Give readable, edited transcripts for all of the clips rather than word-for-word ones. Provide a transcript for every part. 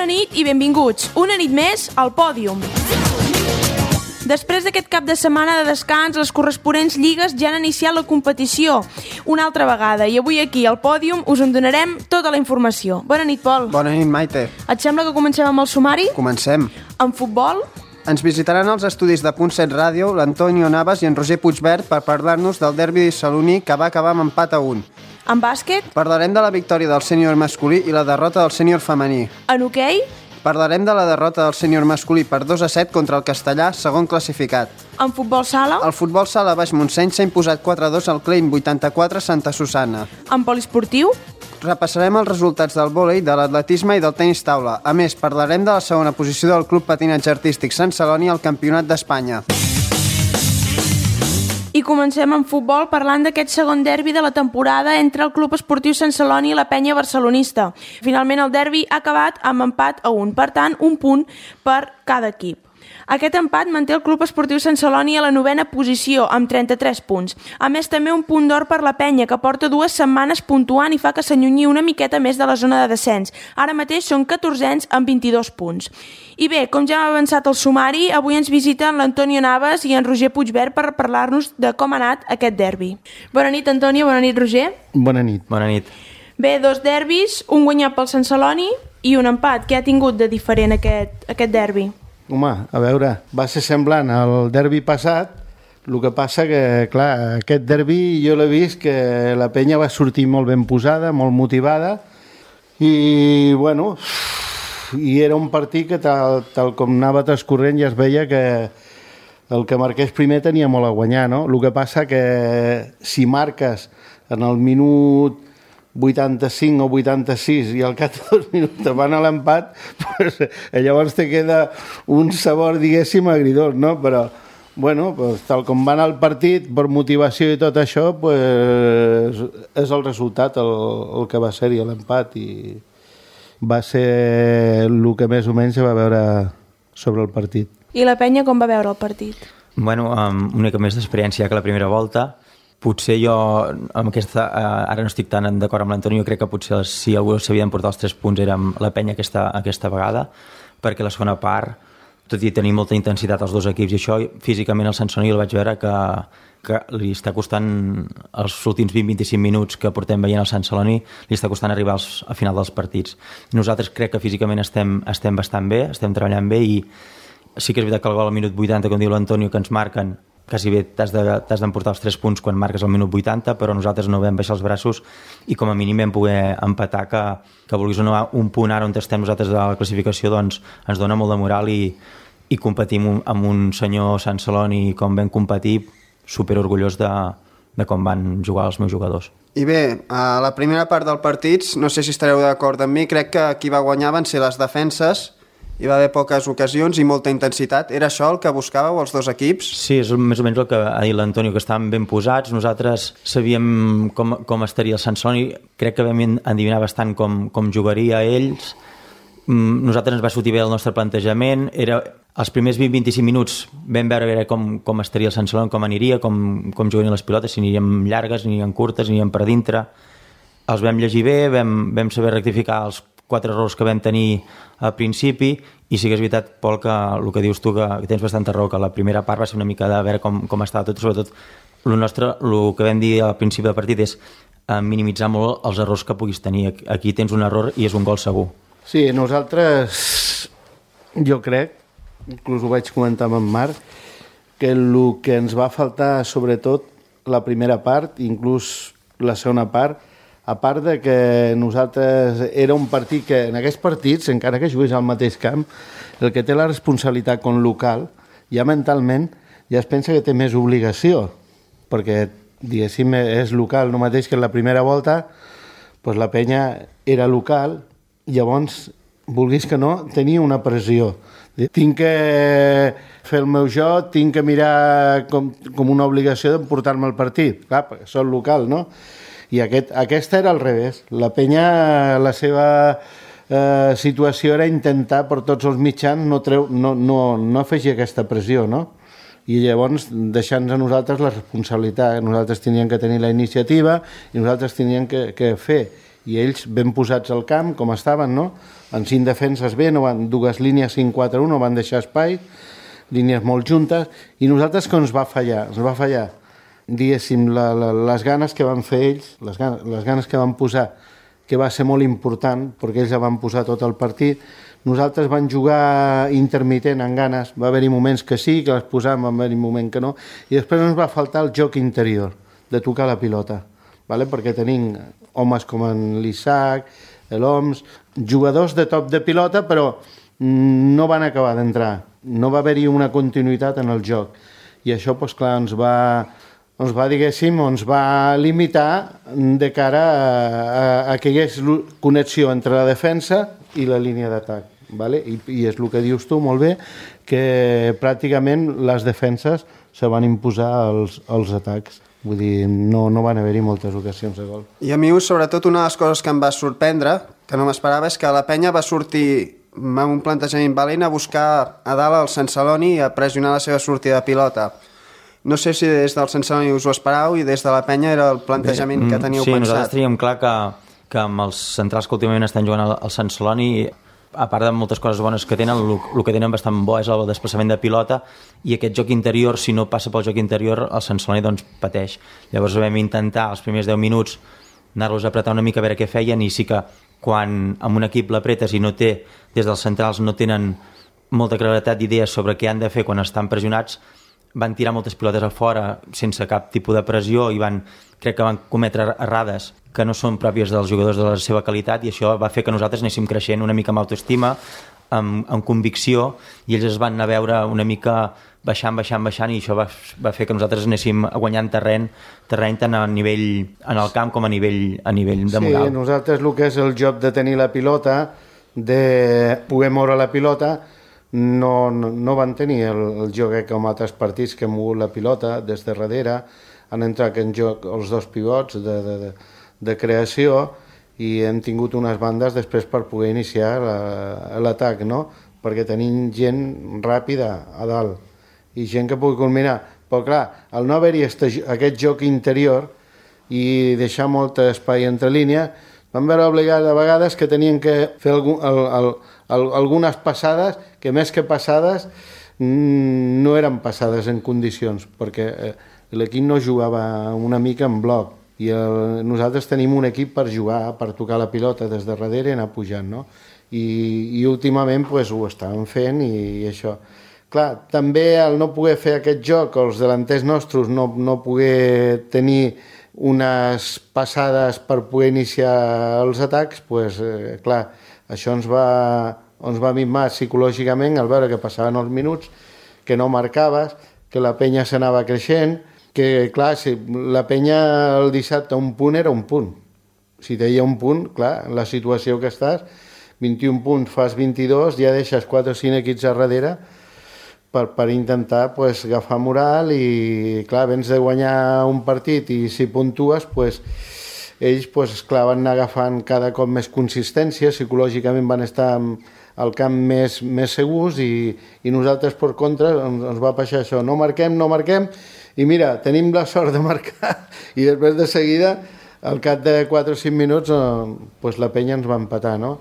Bona nit i benvinguts, una nit més al Pòdium. Després d'aquest cap de setmana de descans, les corresponents lligues ja han iniciat la competició una altra vegada i avui aquí al Pòdium us en donarem tota la informació. Bona nit, Pol. Bona nit, Maite. Et sembla que comencem amb el sumari? Comencem. En futbol? Ens visitaran els estudis de Punt 7 Ràdio l'Antonio Navas i en Roger Puigverd per parlar-nos del derbi saloní que va acabar amb empat a 1. En bàsquet? Parlarem de la victòria del sènior masculí i la derrota del sènior femení. En hoquei? Parlarem de la derrota del sènior masculí per 2-7 contra el Castellà, segon classificat. En futbol sala? El futbol sala Baix Montseny s'ha imposat 4-2 al Klein 84 Santa Susana. En poliesportiu? Repassarem els resultats del vòlei, de l'atletisme i del tenis taula. A més, parlarem de la segona posició del Club Patinatge Artístic Sant Celoni al Campionat d'Espanya. I comencem amb futbol parlant d'aquest segon derbi de la temporada entre el Club Esportiu Sant Celoni i la Penya Barcelonista. Finalment el derbi ha acabat amb empat a 1, per tant un punt per cada equip. Aquest empat manté el Club Esportiu Sant Celoni a la 9a posició, amb 33 punts. A més, també un punt d'or per la Penya, que porta 2 setmanes puntuant i fa que s'allunyi una miqueta més de la zona de descens. Ara mateix són 14ens amb 22 punts. I bé, com ja hem avançat el sumari, avui ens visiten l'Antonio Navas i en Roger Puigverd per parlar-nos de com ha anat aquest derbi. Bona nit, Antonio, bona nit, Roger. Bona nit. Bona nit. Bé, 2 derbis, un guanyat pel Sant Celoni i un empat. Què ha tingut de diferent aquest derbi? Home, a veure, va ser semblant al derbi passat, el que passa que, clar, aquest derbi jo l'he vist que la penya va sortir molt ben posada, molt motivada, i, bueno, i era un partit que tal com anava transcorrent ja es veia que el que marqués primer tenia molt a guanyar, no? El que passa que si marques en el minut 85 o 86 i al cap de 2 minuts te van a l'empat, pues, llavors te queda un sabor, diguéssim, agridós, no? Però, bueno, pues, tal com va anar el partit, per motivació i tot això, pues, és el resultat el que va ser-hi l'empat i va ser el que més o menys se va veure sobre el partit. I la Penya com va veure el partit? Bueno, amb una mica més d'experiència que la primera volta. Potser jo, amb aquesta, ara no estic tan d'acord amb l'Antonio, crec que potser si algú s'havia d'emportar els 3 punts era la Penya aquesta vegada, perquè la segona part, tot i tenir molta intensitat als dos equips, i això físicament el Sant Celoni el vaig veure que li està costant els últims 20-25 minuts que portem veient el Sant Celoni, li està costant arribar a final dels partits. Nosaltres crec que físicament estem bastant bé, estem treballant bé, i sí que és veritat que el gol al minut 80, com diu l'Antonio, que ens marquen, quasi bé t'has d'emportar els 3 punts quan marques al minut 80, però nosaltres no vam baixar els braços i com a mínim vam poder empatar, que vulguis o no, un punt ara on estem nosaltres a la classificació, doncs ens dona molt de moral i competim amb un senyor Sant Celoni com vam competir, super orgullós de com van jugar els meus jugadors. I bé, a la primera part del partit, no sé si estareu d'acord amb mi, crec que qui va guanyar van ser les defenses. Hi va haver poques ocasions i molta intensitat. Era això el que buscàveu els dos equips? Sí, és més o menys el que ha dit l'Antonio, que estàvem ben posats. Nosaltres sabíem com estaria el Sant Celoni. Crec que vam endevinar bastant com jugaria ells. Nosaltres ens va sortir bé el nostre plantejament. Els primers 20-25 minuts vam veure com estaria el Sant Celoni, com aniria, com jugarien les pilotes, si aniríem llargues, aniríem curtes, aniríem per dintre. Els vam llegir bé, vam saber rectificar els 4 errors que vam tenir al principi, i sí que és veritat, Pol, que el que dius tu, que tens bastanta raó, que la primera part va ser una mica de veure com estava tot, sobretot el que vam dir al principi del partit és minimitzar molt els errors que puguis tenir. Aquí tens un error i és un gol segur. Sí, nosaltres, jo crec, inclús ho vaig comentar amb en Marc, que el que ens va faltar, sobretot la primera part, inclús la segona part, a part de que nosaltres era un partit que en aquests partits, encara que jugués al mateix camp, el que té la responsabilitat com local, ja mentalment ja es pensa que té més obligació, perquè, diguéssim, és local, no mateix que en la primera volta, doncs la penya era local, llavors, vulguis que no, tenia una pressió. Tinc que fer el meu joc, tinc que mirar com una obligació d'emportar-me el partit. Clar, perquè soc local, no? I aquesta era al revés. La penya, la seva situació era intentar per tots els mitjans no afegir aquesta pressió, no? I llavors deixar-nos a nosaltres la responsabilitat. Nosaltres teníem que tenir la iniciativa i nosaltres teníem que fer. i ells ben posats al camp, com estaven, no? En 5 defenses bé, no van, dues línies 5-4-1, no van deixar espai, línies molt juntes, i nosaltres que ens va fallar, diguéssim, les ganes que van fer ells, les ganes que van posar, que va ser molt important, perquè ells ja van posar tot el partit. Nosaltres vam jugar intermitent en ganes, va haver-hi moments que sí, que les posàvem, va haver-hi moments que no, i després ens va faltar el joc interior, de tocar la pilota, ¿vale? Perquè tenim homes com en l'Isaac, l'Oms, jugadors de top de pilota, però no van acabar d'entrar, no va haver-hi una continuïtat en el joc, i això, doncs clar, ens va limitar de cara a que hi hagués connexió entre la defensa i la línia d'atac. ¿Vale? I és el que dius tu molt bé, que pràcticament les defenses se van imposar als atacs. Vull dir, no van haver-hi moltes ocasions de gol. I a mi, sobretot, una de les coses que em va sorprendre, que no m'esperava, és que la penya va sortir amb un plantejament valent a buscar a dalt el Sant Celoni i a pressionar la seva sortida de pilota. No sé si des del Sant Celoni us ho esperàveu i des de la penya era el plantejament que teníeu pensat. Sí, nosaltres teníem clar que amb els centrals que últimament estan jugant al Sant Celoni, a part de moltes coses bones que tenen, el que tenen bastant bo és el desplaçament de pilota, i aquest joc interior, si no passa pel joc interior, el Sant Celoni doncs pateix. Llavors vam intentar els primers 10 minuts anar-los a apretar una mica a veure què feien, i sí que quan amb un equip l'apretes i no té, des dels centrals no tenen molta claretat d'idees sobre què han de fer quan estan pressionats, van tirar moltes pilotes a fora sense cap tipus de pressió i crec que van cometre errades que no són pròpies dels jugadors de la seva qualitat, i això va fer que nosaltres anéssim creixent una mica amb autoestima, amb convicció, i ells es van anar a veure una mica baixant, i això va fer que nosaltres anéssim guanyant terreny tant a nivell en el camp com a nivell de moral. Sí, nosaltres el que és el joc de tenir la pilota, de poder moure la pilota, no van tenir el joc com altres partits que han mogut la pilota des de darrere, han entrat en joc els dos pivots de creació, i hem tingut unes bandes després per poder iniciar l'atac, no? Perquè tenim gent ràpida a dalt i gent que pugui culminar. Però clar, al no haver-hi aquest joc interior i deixar molt espai entre línia, vam veure obligats a vegades que tenien que fer algunes passades que més que passades no eren passades en condicions, perquè l'equip no jugava una mica en bloc, i nosaltres tenim un equip per jugar, per tocar la pilota des de darrere i anar pujant, no? I últimament pues, ho estàvem fent, i això. Clar, també el no poder fer aquest joc, els delanters nostres no poder tenir unes passades per poder iniciar els atacs, pues, clar, això ens va minvar psicològicament al veure que passaven els minuts, que no marcaves, que la penya s'anava creixent, que clar, si la penya el dissabte un punt era un punt. Si deia un punt, clar, en la situació que estàs, 21 punts, fas 22, ja deixes 4 o 5 equips a darrere per intentar pues, agafar moral, i clar, vens de guanyar un partit i si puntues, pues, ells pues, clar, van anar agafant cada cop més consistència, psicològicament van estar al camp més segurs, i nosaltres per contra ens va passar això, no marquem, i mira, tenim la sort de marcar, i després de seguida, al cap de 4 o 5 minuts, pues, la penya ens va empatar, no?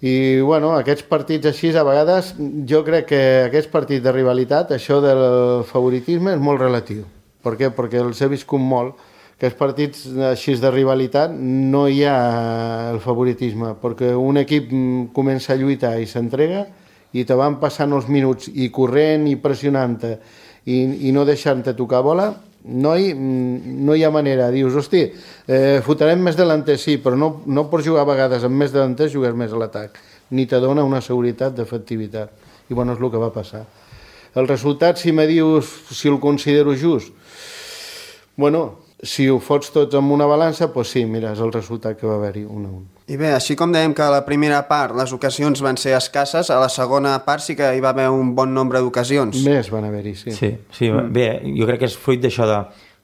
I bueno, aquests partits així, a vegades, jo crec que aquests partits de rivalitat, això del favoritisme és molt relatiu. Per què? Perquè els he viscut molt. Aquests partits així de rivalitat no hi ha el favoritisme, perquè un equip comença a lluitar i s'entrega, i te van passant els minuts i corrent i pressionant-te i no deixant-te tocar bola, no hi ha manera. Dius, hosti, fotrem més delanters, sí, però no pots jugar a vegades amb més delanters, jugues més a l'atac. Ni te dona una seguretat d'efectivitat. I bueno, és el que va passar. El resultat, si me dius si el considero just, bueno, si ho fots tots amb una balança, doncs sí, mira, és el resultat que va haver-hi, 1-1. I bé, així com dèiem que a la primera part les ocasions van ser escasses, a la segona part sí que hi va haver un bon nombre d'ocasions. Més van haver-hi, sí. Sí, bé, jo crec que és fruit d'això de...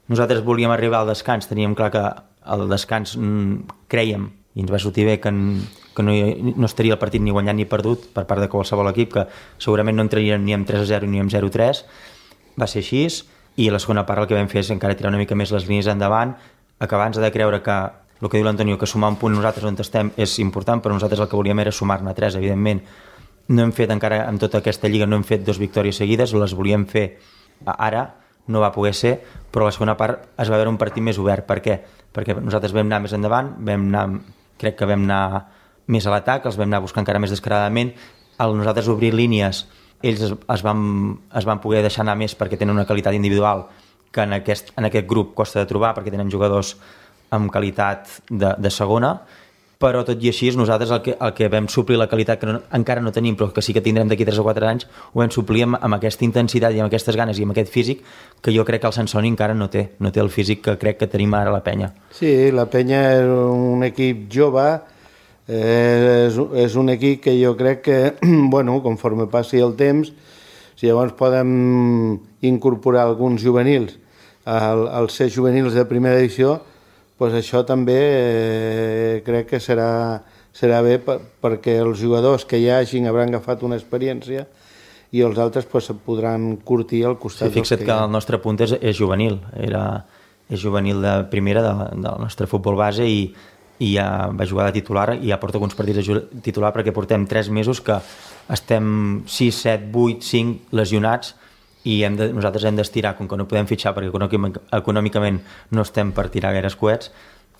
Nosaltres volíem arribar al descans, teníem clar que al descans crèiem, i ens va sortir bé que no estaria el partit ni guanyat ni perdut per part de qualsevol equip, que segurament no entraríem ni amb 3-0 ni amb 0-3. Va ser així, i a la segona part el que vam fer és encara tirar una mica més les línies endavant, acabar-nos de creure que el que diu l'Antonio, que sumar un punt nosaltres on estem és important, però nosaltres el que volíem era sumar-ne 3, evidentment. No hem fet encara, amb tota aquesta lliga, no hem fet 2 victòries seguides, les volíem fer ara, no va poder ser, però la segona part es va veure un partit més obert. Per què? Perquè nosaltres vam anar més endavant, crec que vam anar més a l'atac, els vam anar buscant encara més descaradament. Al nosaltres obrir línies, ells es van poder deixar anar més perquè tenen una qualitat individual que en aquest grup costa de trobar, perquè tenen jugadors amb qualitat de segona, però tot i així nosaltres el que vam suplir la qualitat que encara no tenim, però que sí que tindrem d'aquí 3 o 4 anys, ho vam suplir amb aquesta intensitat i amb aquestes ganes i amb aquest físic que jo crec que el Sant Celoni encara no té el físic que crec que tenim ara la penya. Sí, la penya és un equip jove, és un equip que jo crec que, bueno, conforme passi el temps, si llavors podem incorporar alguns juvenils als ser juvenils de primera edició, pues això també crec que serà bé perquè els jugadors que hi hagin hauran agafat una experiència i els altres pues, podran curtir al costat. Sí, fixa't que el nostre punt és juvenil, és juvenil de primera del nostre futbol base i ja va jugar de titular i ja porta alguns partits de titular perquè portem 3 mesos que estem 6, 7, 8, 5 lesionats i nosaltres hem d'estirar, com que no podem fitxar perquè econòmicament no estem per tirar gaires coets,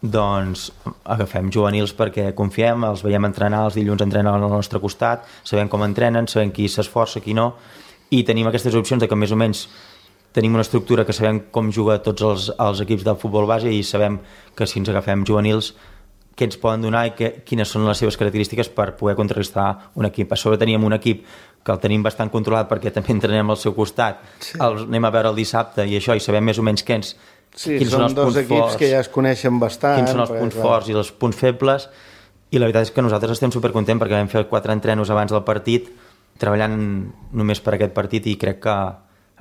doncs agafem juvenils perquè confiem, els veiem entrenar, els dilluns entrenen al nostre costat, sabem com entrenen, sabem qui s'esforça, qui no, i tenim aquestes opcions de que més o menys tenim una estructura que sabem com juga tots els equips del futbol base i sabem que si ens agafem juvenils què ens poden donar i quines són les seves característiques per poder contrarrestar un equip. A sobre teníem un equip que el tenim bastant controlat perquè també entrenem al seu costat, anem a veure el dissabte i això, i sabem més o menys quins són els punts equips forts, que ja es coneixen bastant. Quins són els punts forts i els punts febles, i la veritat és que nosaltres estem supercontents perquè vam fer 4 entrenos abans del partit, treballant només per aquest partit, i crec que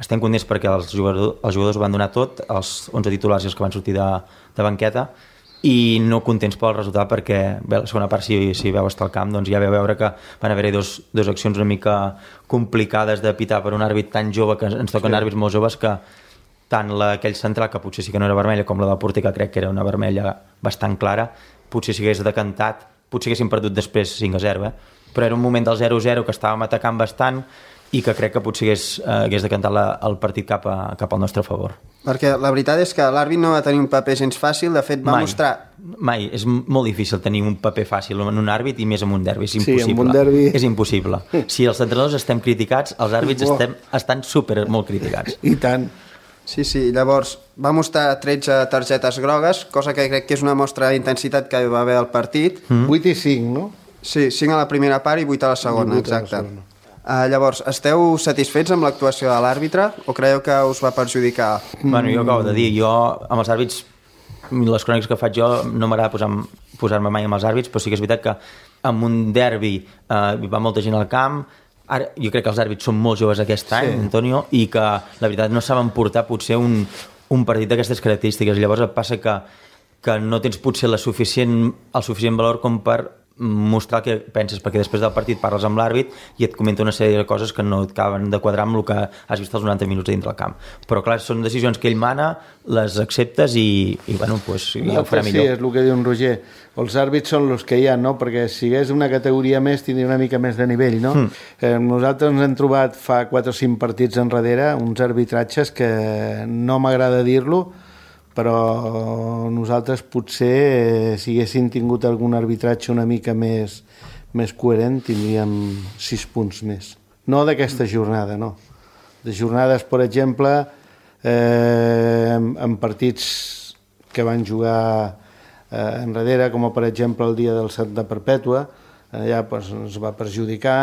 estem contents perquè els jugadors ho van donar tot, els 11 titulars i els que van sortir de banqueta, i no contents pel resultat perquè bé, la segona part si veu estar al camp doncs ja veu veure que van haver-hi dos accions una mica complicades de pitar per un àrbit tan jove, que ens toquen àrbits molt joves, que tant aquell central, que potser sí que no era vermella, com la del porter, que crec que era una vermella bastant clara, potser si hagués decantat, potser haguéssim perdut després 5-0, però era un moment del 0-0 que estàvem atacant bastant i que crec que potser hagués decantat el partit cap al nostre favor. Perquè la veritat és que l'àrbit no va tenir un paper gens fàcil, de fet va mostrar... Mai, és molt difícil tenir un paper fàcil en un àrbit i més en un derbi, és impossible. Sí, en un derbi... És impossible. Si els entrenadors estem criticats, els àrbits estan molt criticats. I tant. Sí, llavors va mostrar 13 targetes grogues, cosa que crec que és una mostra d'intensitat que va haver al partit. 8 i 5, no? Sí, 5 a la primera part i 8 a la segona, exacte. Llavors, esteu satisfets amb l'actuació de l'àrbitre o creieu que us va perjudicar? Bueno, jo acabo de dir, jo amb els àrbits, les cròniques que faig jo no m'agrada posar-me mai amb els àrbits, però sí que és veritat que en un derbi hi va molta gent al camp. Ara, jo crec que els àrbits són molt joves aquest any, Antonio, i que la veritat no saben portar potser un partit d'aquestes característiques. Llavors et passa que no tens potser el suficient valor com per mostrar el que penses, perquè després del partit parles amb l'àrbit i et comenta una sèrie de coses que no et acaben de quadrar amb el que has vist els 90 minuts dintre el camp. Però clar, són decisions que ell mana, les acceptes i bueno, pues, ja ho farà millor. Sí, és el que diu en Roger. Els àrbits són els que hi ha, no? Perquè si hagués una categoria més tindria una mica més de nivell, no? Nosaltres ens hem trobat fa 4 o 5 partits enrere uns arbitratges que no m'agrada dir-lo, però nosaltres potser si haguéssim tingut algun arbitratge una mica més coherent tindríem 6 punts més. No d'aquesta jornada, no. De jornades, per exemple, en partits que van jugar enrere, com per exemple el dia del Santa Perpètua, allà ens va perjudicar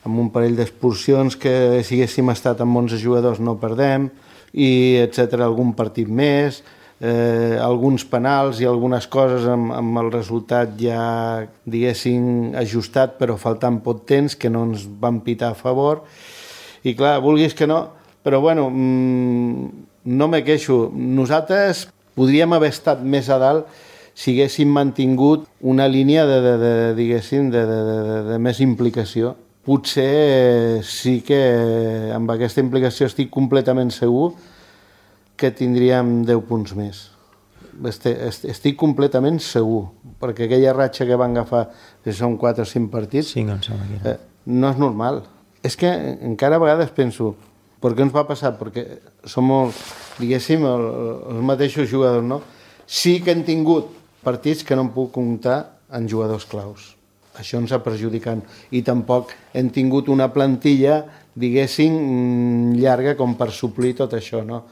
amb un parell d'expulsions que si haguéssim estat amb 11 jugadors no perdem, i etc. Algun partit més, alguns penals i algunes coses amb el resultat ja, diguéssim, ajustat, però faltant poc temps, que no ens van pitar a favor. I clar, vulguis que no, però bueno, no me queixo. Nosaltres podríem haver estat més a dalt si haguéssim mantingut una línia diguéssim, de més implicació. Potser sí que amb aquesta implicació estic completament segur que tindríem 10 punts més. estic completament segur, perquè aquella ratxa que van agafar, que són 4 o 5 partits, 5 em sembla que era. No és normal. És que encara a vegades penso, per què ens va passar? Perquè som, diguéssim, els mateixos jugadors, no? Sí que hem tingut partits que no em puc comptar en jugadors claus. Això ens ha perjudicat. I tampoc hem tingut una plantilla, diguéssim, llarga com per suplir tot això, no?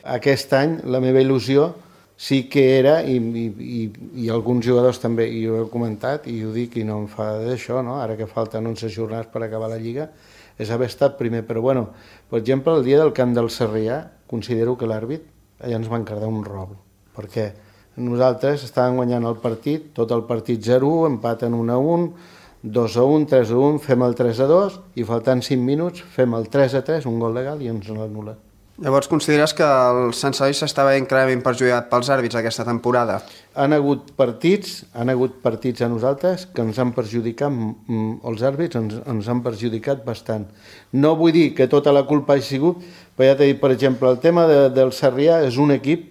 Aquest any la meva il·lusió sí que era, i alguns jugadors també, i ho he comentat, i ho dic i no em fa d'això, no? Ara que falten 11 jornades per acabar la Lliga, és haver estat primer. Però bueno, per exemple, el dia del camp del Sarrià, considero que l'àrbit allà ens va encardar un robo, perquè nosaltres estàvem guanyant el partit, tot el partit 0-1, empaten 1-1, 2-1, 3-1, fem el 3-2 i faltant 5 minuts fem el 3-3, un gol legal i ens l'anul·la. Llavors consideres que el Sant Celoni s'estava clarament perjudicat pels àrbits aquesta temporada? Han hagut partits a nosaltres que ens han perjudicat, els àrbits ens han perjudicat bastant. No vull dir que tota la culpa hagi sigut, però ja t'he dit, per exemple, el tema del Sarrià és un equip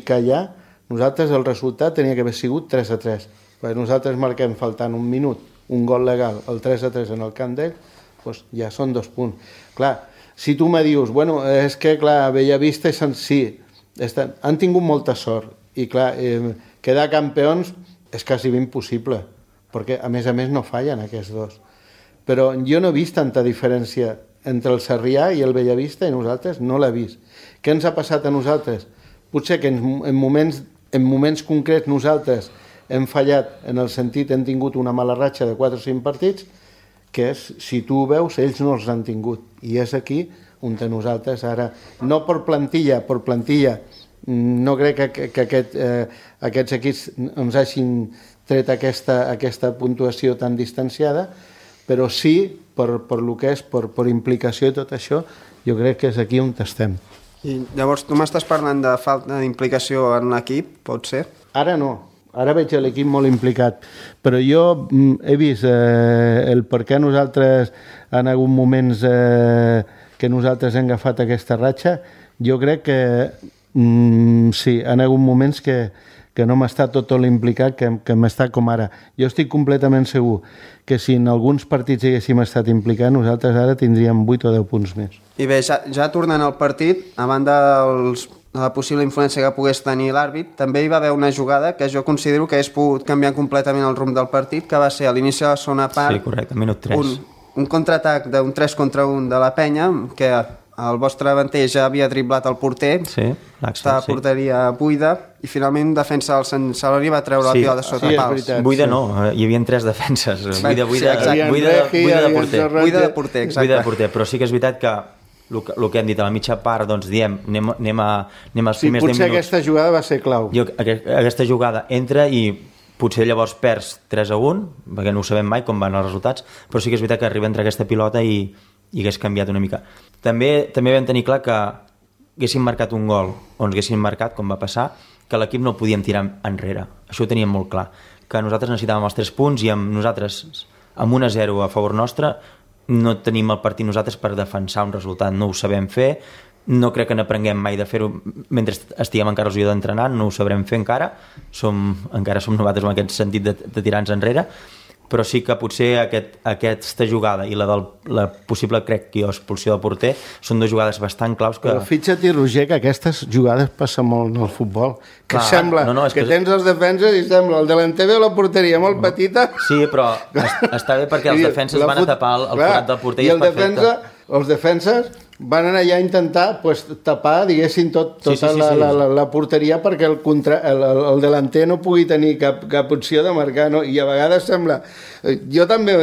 que allà, nosaltres el resultat tenia que haver sigut 3-3, perquè nosaltres marquem faltant un minut, un gol legal, el 3-3 en el camp d'ell, doncs ja són 2 punts. Clar, si tu me dius, bueno, és que, clar, Bellavista sí, han tingut molta sort, i clar, quedar campions és quasi impossible, perquè a més no fallen aquests dos. Però jo no he vist tanta diferència entre el Sarrià i el Bellavista, i nosaltres no l'he vist. Què ens ha passat a nosaltres? Potser que en moments concrets nosaltres hem fallat, en el sentit hem tingut una mala ratxa de 4 o 5 partits, que és, si tu ho veus, ells no els han tingut. I és aquí on nosaltres ara, no per plantilla, no crec que aquests equips ens hagin tret aquesta puntuació tan distanciada, però sí, per lo que és, per implicació i tot això, jo crec que és aquí on estem. I llavors tu m'estàs parlant de falta d'implicació en l'equip, pot ser? Ara no. Ara veig l'equip molt implicat, però jo he vist el per què nosaltres en hagut moments que nosaltres hem agafat aquesta ratxa. Jo crec que sí, han hagut moments que no m'està tot l'implicat que m'està com ara. Jo estic completament segur que si en alguns partits haguéssim estat implicats, nosaltres ara tindríem 8 o 10 punts més. I bé, ja tornant al partit, a banda de la possible influència que pogués tenir l'àrbit, també hi va haver una jugada que jo considero que hagués pogut canviar completament el rumb del partit, que va ser a l'inici de la segona part. Sí, correcte, minut 3. Un contraatac d'un 3 contra 1 de la penya, que el vostre davanter ja havia driblat el porter, sí, estava a porteria buida, i finalment un defensa del Sant Celoni va treure la pilota sota pals. Buida no, hi havia 3 defenses. Buida de porter, però sí que és veritat que el que hem dit a la mitja part, doncs diem, anem als primers 10 minuts. Potser aquesta jugada va ser clau. Aquesta jugada entra i potser llavors perds 3-1, perquè no ho sabem mai com van els resultats, però sí que és veritat que arriba a entrar aquesta pilota i hagués canviat una mica. També vam tenir clar que haguéssim marcat un gol o ens haguéssim marcat, com va passar, que l'equip no podíem tirar enrere. Això ho teníem molt clar, que nosaltres necessitàvem els 3 punts i nosaltres amb 1-0 a favor nostre no tenim el partit nosaltres per defensar un resultat, no ho sabem fer, no crec que n'aprenguem mai de fer-ho mentre estiguem encara el d'entrenar, no ho sabrem fer encara som nosaltres en aquest sentit de tirar-nos enrere, però sí que potser aquesta jugada i la possible, crec que expulsió del porter, són 2 jugades bastant claus que... Però fixa't, Roger, que aquestes jugades passen molt en el futbol, que sembla que tens els defenses i sembla el delanter de la porteria molt petita... Sí, però està bé perquè els defenses van a tapar el forat del porter i és perfecte. Els defenses van anar allà a intentar tapar, diguéssim, tota la porteria perquè el delanter no pugui tenir cap opció de marcar, no? I a vegades sembla... Jo també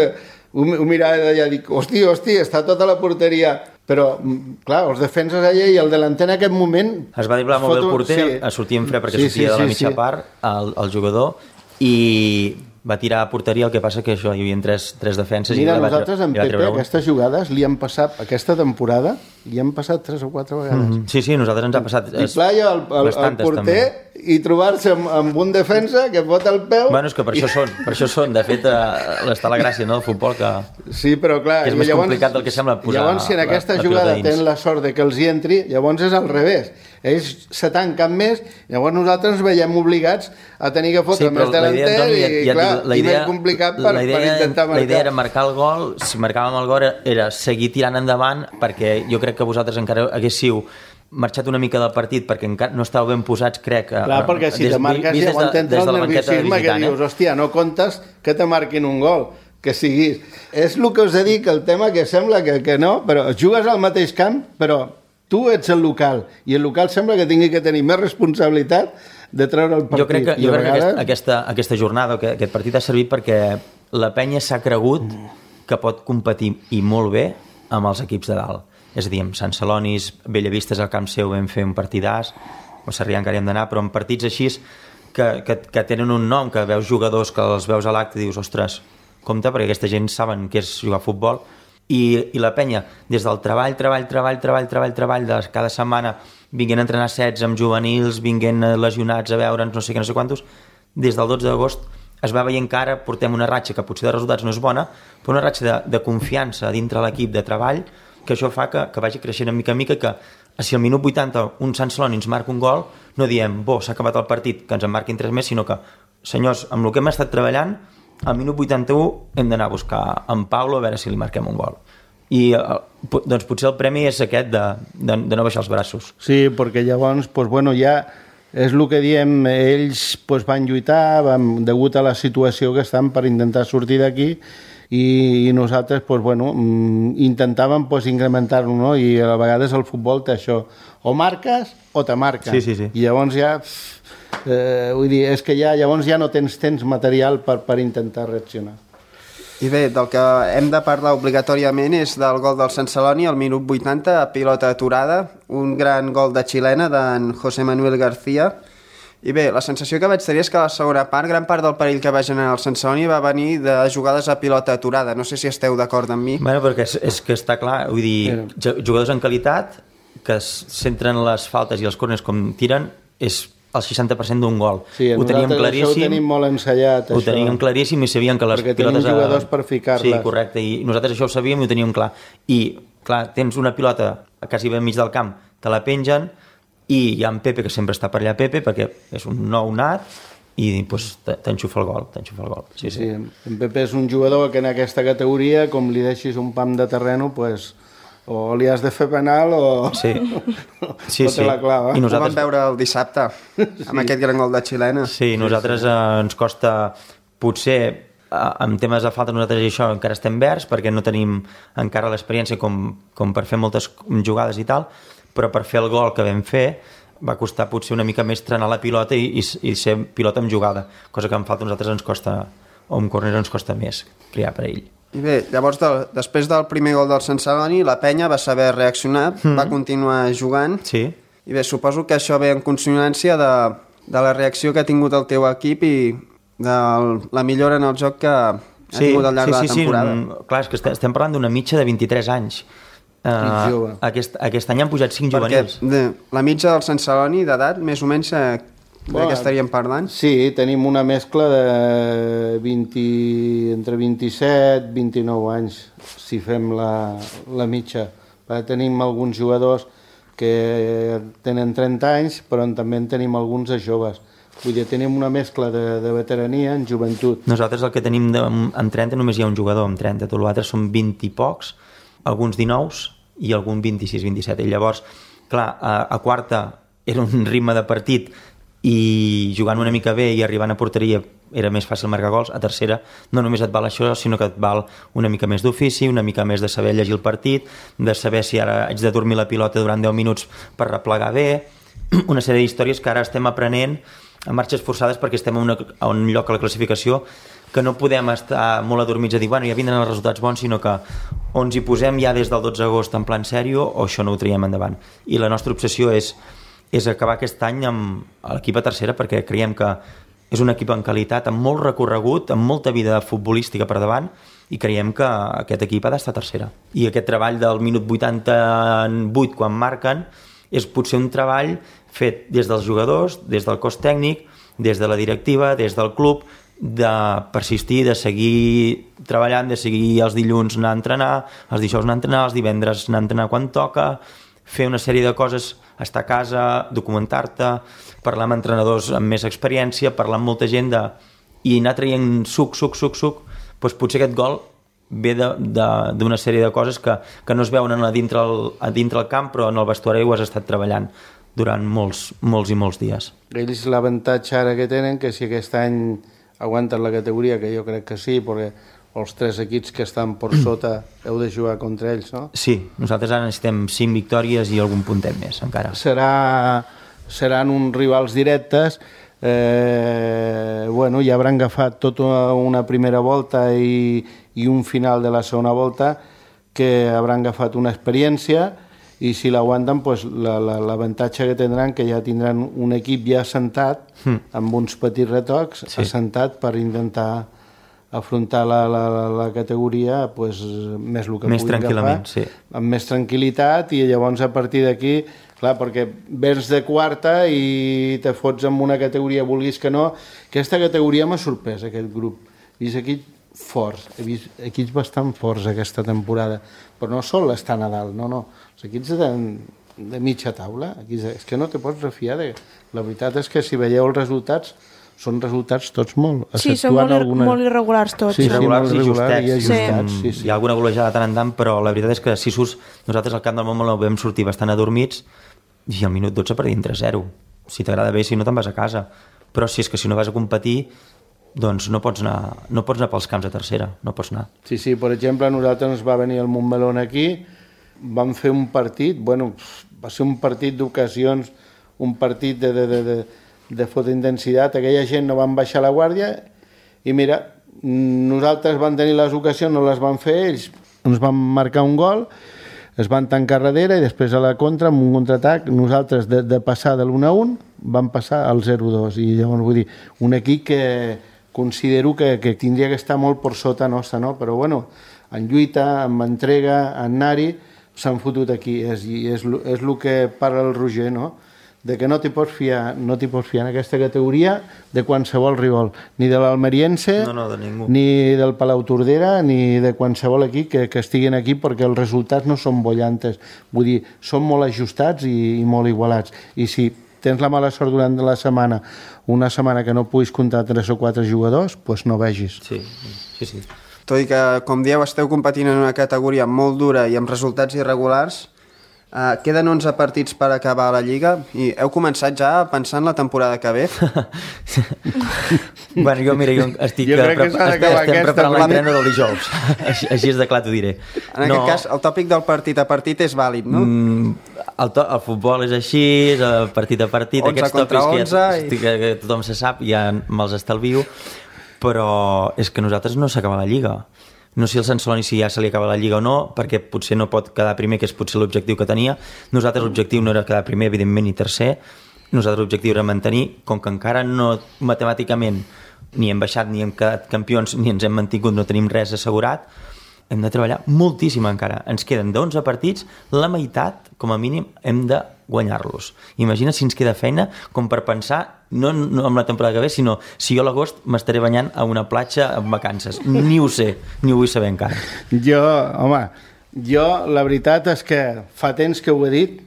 ho mirava d'allà i dic, hòstia, està tota la porteria... Però, clar, els defenses allà i el delanter en aquest moment... Es va driblar molt bé el porter, sortia en fre perquè sortia de la mitja part, el jugador, i va tirar a porteria, el que passa que això, hi havia 3 defenses. Mira, nosaltres en Pepe aquestes jugades li han passat, aquesta temporada, li han passat 3 o 4 vegades. Sí, nosaltres ens ha passat bastantes, el porter també. i trobar-se amb un defensa que bota el peu... Bueno, és que per això són. De fet, està la gràcia, no?, del futbol, que... Sí, però clar... Que és més complicat del que sembla posar... Llavors, si en aquesta jugada tenen la sort de que els hi entri, llavors és al revés. Ells se tanquen més, llavors nosaltres ens veiem obligats a tenir que fotre més delanter i més complicat per intentar marcar. La idea era marcar el gol. Si marcàvem el gol era seguir tirant endavant, perquè jo crec que vosaltres encara haguéssiu marxat una mica del partit perquè encara no estàveu ben posats, crec. Clar, perquè si te marques llavors t'entra el nerviosisme que dius, hòstia, no comptes que te marquin un gol, que siguis. És el que us he dit, que el tema que sembla que no, però jugues al mateix camp, però tu ets el local, i el local sembla que tingui que tenir més responsabilitat de treure el partit. Jo crec que aquesta jornada, aquest partit ha servit perquè la penya s'ha cregut que pot competir i molt bé amb els equips de dalt. És a dir, amb Sant Celonis, Bellavistes al camp seu vam fer un partidàs, a Sarrià encara hi hem d'anar, però en partits així que tenen un nom, que veus jugadors que els veus a l'acte i dius, ostres, compte, perquè aquesta gent saben què és jugar a futbol, i la penya, des del treball de cada setmana, vinguent a entrenar sets amb juvenils, vinguent lesionats a veure'ns, no sé què, no sé quantos, des del 12 d'agost es va veient que ara portem una ratxa que potser de resultats no és bona, però una ratxa de confiança dintre l'equip de treball, que això fa que vagi creixent de mica en mica, que si al minut 80 un Sant Celoni ens marca un gol, no diem, s'ha acabat el partit, que ens en marquin 3 més, sinó que, senyors, amb el que hem estat treballant, al minut 81 hem d'anar a buscar en Paulo a veure si li marquem un gol. I doncs potser el premi és aquest de no baixar els braços. Sí, perquè llavors, ja és el que diem, ells van lluitar, degut a la situació que estan per intentar sortir d'aquí, i nosaltres intentàvem incrementar-lo, no? I a vegades el futbol té això, o marques o te marquen. Sí. I llavors ja vull dir, és que llavors ja no tens temps material per intentar reaccionar. I bé, del que hem de parlar obligatòriament és del gol del Sant Celoni al minut 80, a pilota aturada, un gran gol de xilena d'en José Manuel García. I bé, la sensació que vaig tenir és que a la segona part, gran part del perill que va generar el Sant Celoni va venir de jugades a pilota aturada. No sé si esteu d'acord amb mi. Bueno, perquè és que està clar, vull dir, jugadors en qualitat que centren les faltes i els córners com tiren és el 60% d'un gol. Sí, ho teníem claríssim. Ho tenim molt ensellat, ho teníem claríssim i sabíem que les perquè pilotes... tenim jugadors per ficar-les. Sí, correcte, i nosaltres això ho sabíem i ho teníem clar. I, clar, tens una pilota quasi ben mig del camp, te la pengen, i hi ha en Pepe, que sempre està per allà Pepe, perquè és un nou nat, i t'enxufa el gol. Sí. En Pepe és un jugador que en aquesta categoria, com li deixis un pam de terreno, o li has de fer penal o te la clava. I nosaltres... Ho vam veure el dissabte, amb aquest gran gol de xilena. Sí, nosaltres ens costa, potser, en temes de falta nosaltres i això encara estem verds, perquè no tenim encara l'experiència com per fer moltes jugades i tal, però per fer el gol que vam fer va costar potser una mica més trenar la pilota i ser pilota amb jugada, cosa que en falta a nosaltres ens costa, o en córner ens costa més crear per ell. I bé, llavors després del primer gol del Sant Celoni, la penya va saber reaccionar, va continuar jugant, sí. I bé, suposo que això ve en consonància de la reacció que ha tingut el teu equip i de la millora en el joc que ha tingut al llarg de la temporada. Sí, clar, és que estem parlant d'una mitja de 23 anys. Aquest any han pujat 5 juvenils. La mitja del Sant Celoni d'edat, més o menys, de què estaríem parlant? Sí, tenim una mescla de entre 27 i 29 anys, si fem la mitja. Tenim alguns jugadors que tenen 30 anys, però també en tenim alguns de joves. Vull dir, tenim una mescla de veterania en joventut. Nosaltres el que tenim en 30 només hi ha un jugador amb 30, tots els altres són 20 i pocs, alguns 19 i algun 26-27. I llavors, clar, a quarta era un ritme de partit i jugant una mica bé i arribant a porteria era més fàcil marcar gols. A tercera no només et val això, sinó que et val una mica més d'ofici, una mica més de saber llegir el partit, de saber si ara haig de dormir la pilota durant 10 minuts per replegar bé, una sèrie d'històries que ara estem aprenent a marxes forçades perquè estem a un lloc a la classificació que no podem estar molt adormits a dir, bueno, ja vindran els resultats bons, sinó que o ens hi posem ja des del 12 d'agost en plan sèrio o això no ho traiem endavant. I la nostra obsessió és acabar aquest any amb l'equip a tercera, perquè creiem que és un equip en qualitat, amb molt recorregut, amb molta vida futbolística per davant, i creiem que aquest equip ha d'estar a tercera. I aquest treball del minut 88, quan marquen, és potser un treball fet des dels jugadors, des del cos tècnic, des de la directiva, des del club, de persistir, de seguir treballant, de seguir els dilluns anar a entrenar, els dijous anar a entrenar, els divendres anar a entrenar quan toca, fer una sèrie de coses, estar a casa, documentar-te, parlar amb entrenadors amb més experiència, parlar amb molta gent i anar traient suc, doncs potser aquest gol ve d'una sèrie de coses que no es veuen a dintre el camp, però en el vestuari ho has estat treballant durant molts i molts dies. Ells l'avantatge ara que tenen, que si aquest any aguanten la categoria, que jo crec que sí, perquè els 3 equips que estan per sota heu de jugar contra ells, no? Sí, nosaltres ara necessitem 5 victòries i algun puntet més, encara. Seran uns rivals directes. Bueno, ja hauran agafat tota una primera volta i un final de la segona volta que hauran agafat una experiència, i si l'aguanten, pues, l'avantatge que tindran, que ja tindran un equip ja assentat, amb uns petits retocs, assentat per intentar afrontar la categoria pues, més el que més puguin tranquil·lament, agafar, sí. amb més tranquil·litat, i llavors a partir d'aquí, clar, perquè vens de quarta i te fots en una categoria, vulguis que no. Aquesta categoria m'ha sorprès, aquest grup. He vist equips forts, he vist equips bastant forts aquesta temporada, però no sol estar a dalt, no. Els equips de mitja taula, és que no te pots refiar de... La veritat és que si veieu els resultats, són resultats tots molt... Sí, són molt irregulars tots. Sí, irregulars molt irregulars i ajustats. Sí. Hi ha alguna golejada tant en tant, però la veritat és que Sisus, nosaltres al camp del Montmeló vam sortir bastant adormits i al minut 12 perdíem 3-0. Si t'agrada bé, si no te'n vas a casa. Però si és que si no vas a competir, doncs no pots anar pels camps de tercera, no pots anar. Sí, per exemple, a nosaltres ens va venir el Montmeló aquí, vam fer un partit, bueno, va ser un partit d'ocasions, un partit de forta intensitat, aquella gent no van baixar la guàrdia, i mira, nosaltres vam tenir les ocasions, no les van fer, ells ens van marcar un gol, es van tancar darrere i després a la contra, amb un contraatac, nosaltres de passar de l'1-1 vam passar al 0-2, i llavors vull dir, un equip que considero que tindria que estar molt per sota nostra, no? Però bueno, en lluita, en entrega, en anar-hi, s'han fotut aquí, és el que parla el Roger, no? De que no t'hi pots fiar en aquesta categoria de qualsevol rival, ni de l'Almeriense, de ningú, ni del Palau Tordera, ni de qualsevol equip que estiguin aquí, perquè els resultats no són bollantes, vull dir, són molt ajustats i molt igualats, i si tens la mala sort durant la setmana, una setmana que no puguis comptar 3 o 4 jugadors, doncs no vegis. Sí. Tot i que, com dieu, esteu competint en una categoria molt dura i amb resultats irregulars, queden 11 partits per acabar la Lliga i heu començat ja pensant la temporada que ve? Bueno, jo estic preparant l'entrena del dijous. Així és de clar t'ho diré. En aquest cas, el tòpic del partit a partit és vàlid, no? El futbol és així, partit a partit, 11 aquests tòpics que tothom se sap, ja me'ls estalvio, però és que nosaltres no s'acaba la Lliga. No sé el Sant Celoni si ja se li acaba la Lliga o no, perquè potser no pot quedar primer, que és potser l'objectiu que tenia. Nosaltres l'objectiu no era quedar primer, evidentment, ni tercer. Nosaltres l'objectiu era mantenir, com que encara no matemàticament ni hem baixat, ni hem quedat campions, ni ens hem mantingut, no tenim res assegurat, hem de treballar moltíssim encara. Ens queden d'11 partits, la meitat, com a mínim, hem de guanyar-los. Imagina si ens queda feina com per pensar, no amb la temporada que ve, sinó si jo a l'agost m'estaré banyant a una platja amb vacances. Ni ho sé, ni ho vull saber encara. Jo la veritat és que fa temps que ho he dit,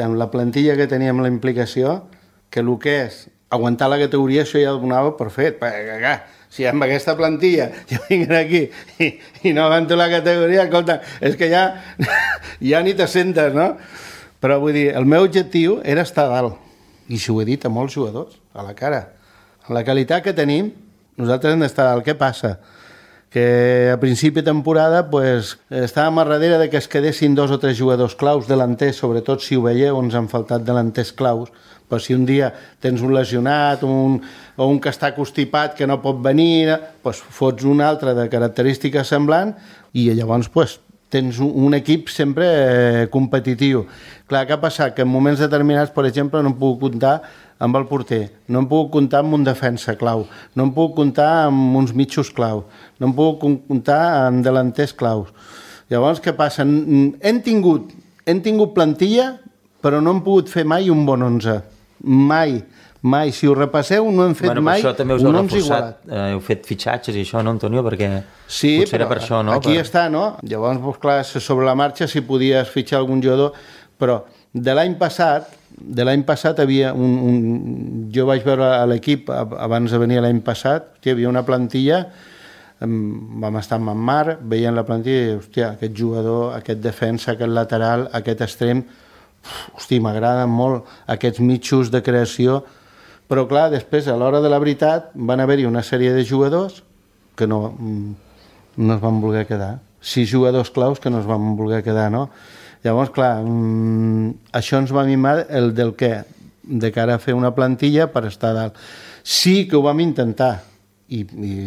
amb la plantilla que teníem, la implicació, que el que és aguantar la categoria, això ja ho donava per fet, perquè si amb aquesta plantilla jo vinc aquí i no aguanto la categoria, escolta, és que ja ni te sentes, no? Però vull dir, el meu objectiu era estar a dalt, i si ho he dit a molts jugadors, a la cara. En la qualitat que tenim, nosaltres hem d'estar a dalt. Què passa? Que a principi de temporada pues, estàvem a darrere de que es quedessin 2 o 3 jugadors claus, delanters, sobretot si ho veieu, ens han faltat delanters claus, però si un dia tens un lesionat o un que està constipat que no pot venir, doncs fots un altre de característica semblant i llavors pues, tens un equip sempre competitiu. Clar, què ha passat? Que en moments determinats, per exemple, no em puc comptar amb el porter, no em puc comptar amb un defensa clau, no em puc comptar amb uns mitjos clau, no em puc comptar amb delanters claus. Llavors, què passa? Hem tingut plantilla però no hem pogut fer mai un bon 11. Mai. Si ho repasseu, no hem fet mai això també us un heu 11 igualat. Heu fet fitxatges i això, no, Antonio? Perquè sí, potser era per això, no? Aquí està, no? Llavors, doncs, clar, sobre la marxa si podies fitxar algun jugador, però de l'any passat havia jo vaig veure a l'equip abans de venir l'any passat, hi havia una plantilla, vam estar amb en Marc, veient la plantilla i hòstia, aquest jugador, aquest defensa, aquest lateral, aquest extrem, hòstia, m'agraden molt aquests mitjos de creació, però clar, després a l'hora de la veritat van haver-hi una sèrie de jugadors que no es van voler quedar, 6 jugadors claus que no es van voler quedar, no? Llavors, clar, això ens va mimar el del què? De cara a fer una plantilla per estar a dalt. Sí que ho vam intentar, i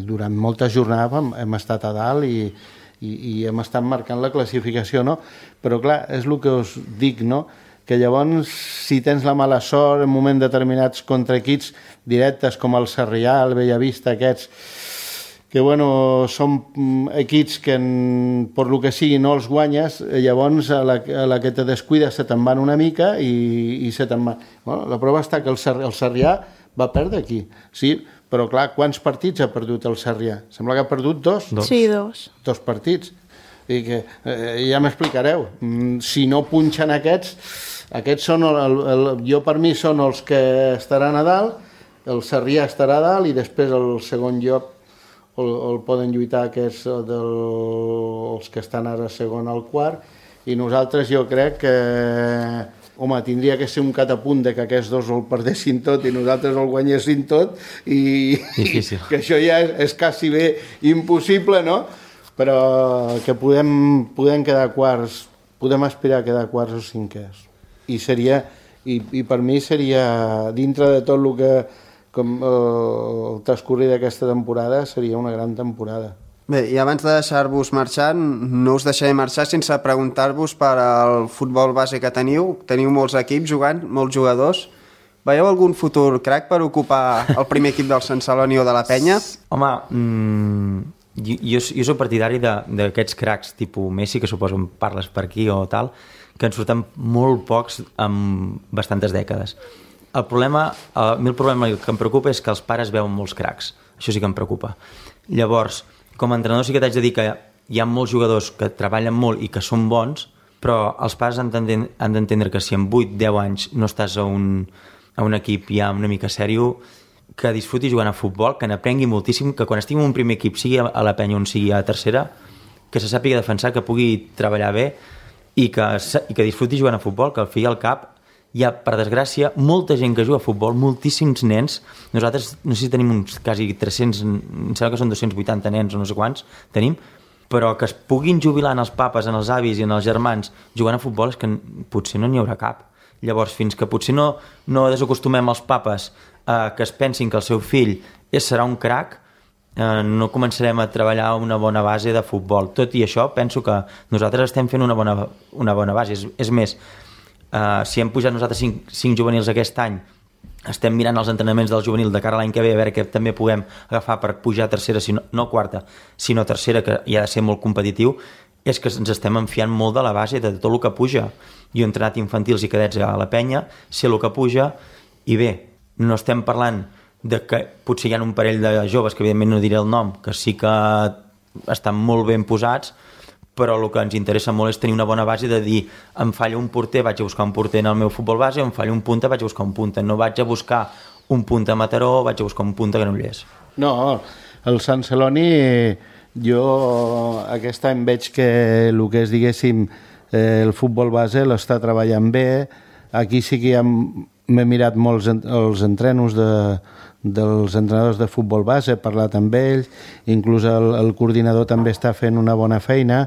durant moltes jornades hem estat a dalt i hem estat marcant la classificació, no? Però, clar, és el que us dic, no? Que llavors, si tens la mala sort en moments determinats contra equips directes com el Sarrià, el Bellavista, aquests, que bueno, són equips que per lo que sigui no els guanyes, llavors a la que te descuides se te'n van una mica i se te'n van. Bueno, la prova està que el Sarrià va perdre aquí, sí, però clar, quants partits ha perdut el Sarrià? Sembla que ha perdut 2. Sí, 2. 2 partits. I que ja m'explicareu. Si no punxen aquests són, jo per mi són els que estaran a dalt, el Sarrià estarà a dalt i després el segon lloc el poden lluitar aquests els que estan ara segon al quart, i nosaltres jo crec que tindria que ser un catapunt de que aquests dos el perdessin tot i nosaltres el guanyessin tot i que això ja és quasi bé impossible, no? Però que podem quedar quarts, podem aspirar a quedar quarts o cinquers, i per mi seria, dintre de tot el que com el transcorrir d'aquesta temporada, seria una gran temporada. Bé, i abans de deixar-vos marxar, no us deixaré marxar sense preguntar-vos per al futbol base que teniu. Teniu molts equips jugant, molts jugadors. Veieu algun futur crac per ocupar el primer equip del Sant Celoni o de la Penya? Home, jo soc partidari d'aquests cracs tipus Messi, que suposo en parles per aquí o tal, que en surten molt pocs en bastantes dècades. El problema que em preocupa és que els pares veuen molts cracs. Això sí que em preocupa. Llavors, com a entrenador sí que t'haig de dir que hi ha molts jugadors que treballen molt i que són bons, però els pares han d'entendre que si en 8-10 anys no estàs a un equip ja una mica sèrio, que disfruti jugant a futbol, que n'aprengui moltíssim, que quan estigui en un primer equip, sigui a la Penya o sigui a tercera, que se sàpiga defensar, que pugui treballar bé i que disfruti jugant a futbol, que al fi i al cap hi ha, per desgràcia, molta gent que juga a futbol, moltíssims nens. Nosaltres, no sé si tenim uns quasi 300, em sembla que són 280 nens o no sé quants tenim, però que es puguin jubilar en els papes, en els avis i en els germans jugant a futbol és que potser no n'hi haurà cap. Llavors, fins que potser no desacostumem els papes que es pensin que el seu fill serà un crac, no començarem a treballar una bona base de futbol. Tot i això, penso que nosaltres estem fent una bona base. És més, si hem pujat nosaltres 5 juvenils aquest any, estem mirant els entrenaments del juvenil de cara a l'any que ve a veure què també puguem agafar per pujar a tercera, no quarta, sinó tercera, que hi ha de ser molt competitiu, és que ens estem enfiant molt de la base de tot el que puja. Jo he entrenat infantils i cadets a la Penya, sé el que puja, i bé, no estem parlant de que potser hi ha un parell de joves, que evidentment no diré el nom, que sí que estan molt ben posats, però el que ens interessa molt és tenir una bona base de dir, em falla un porter, vaig a buscar un porter en el meu futbol base, em falla un punta, vaig a buscar un punta. No vaig a buscar un punta a Mataró, vaig a buscar un punta a Granollers. No, el Sant Celoni, jo aquest any veig que el que és, diguéssim, el futbol base l'està treballant bé. Aquí sí que m'he mirat molts els entrenos dels entrenadors de futbol base, he parlat amb ells, inclús el coordinador també està fent una bona feina.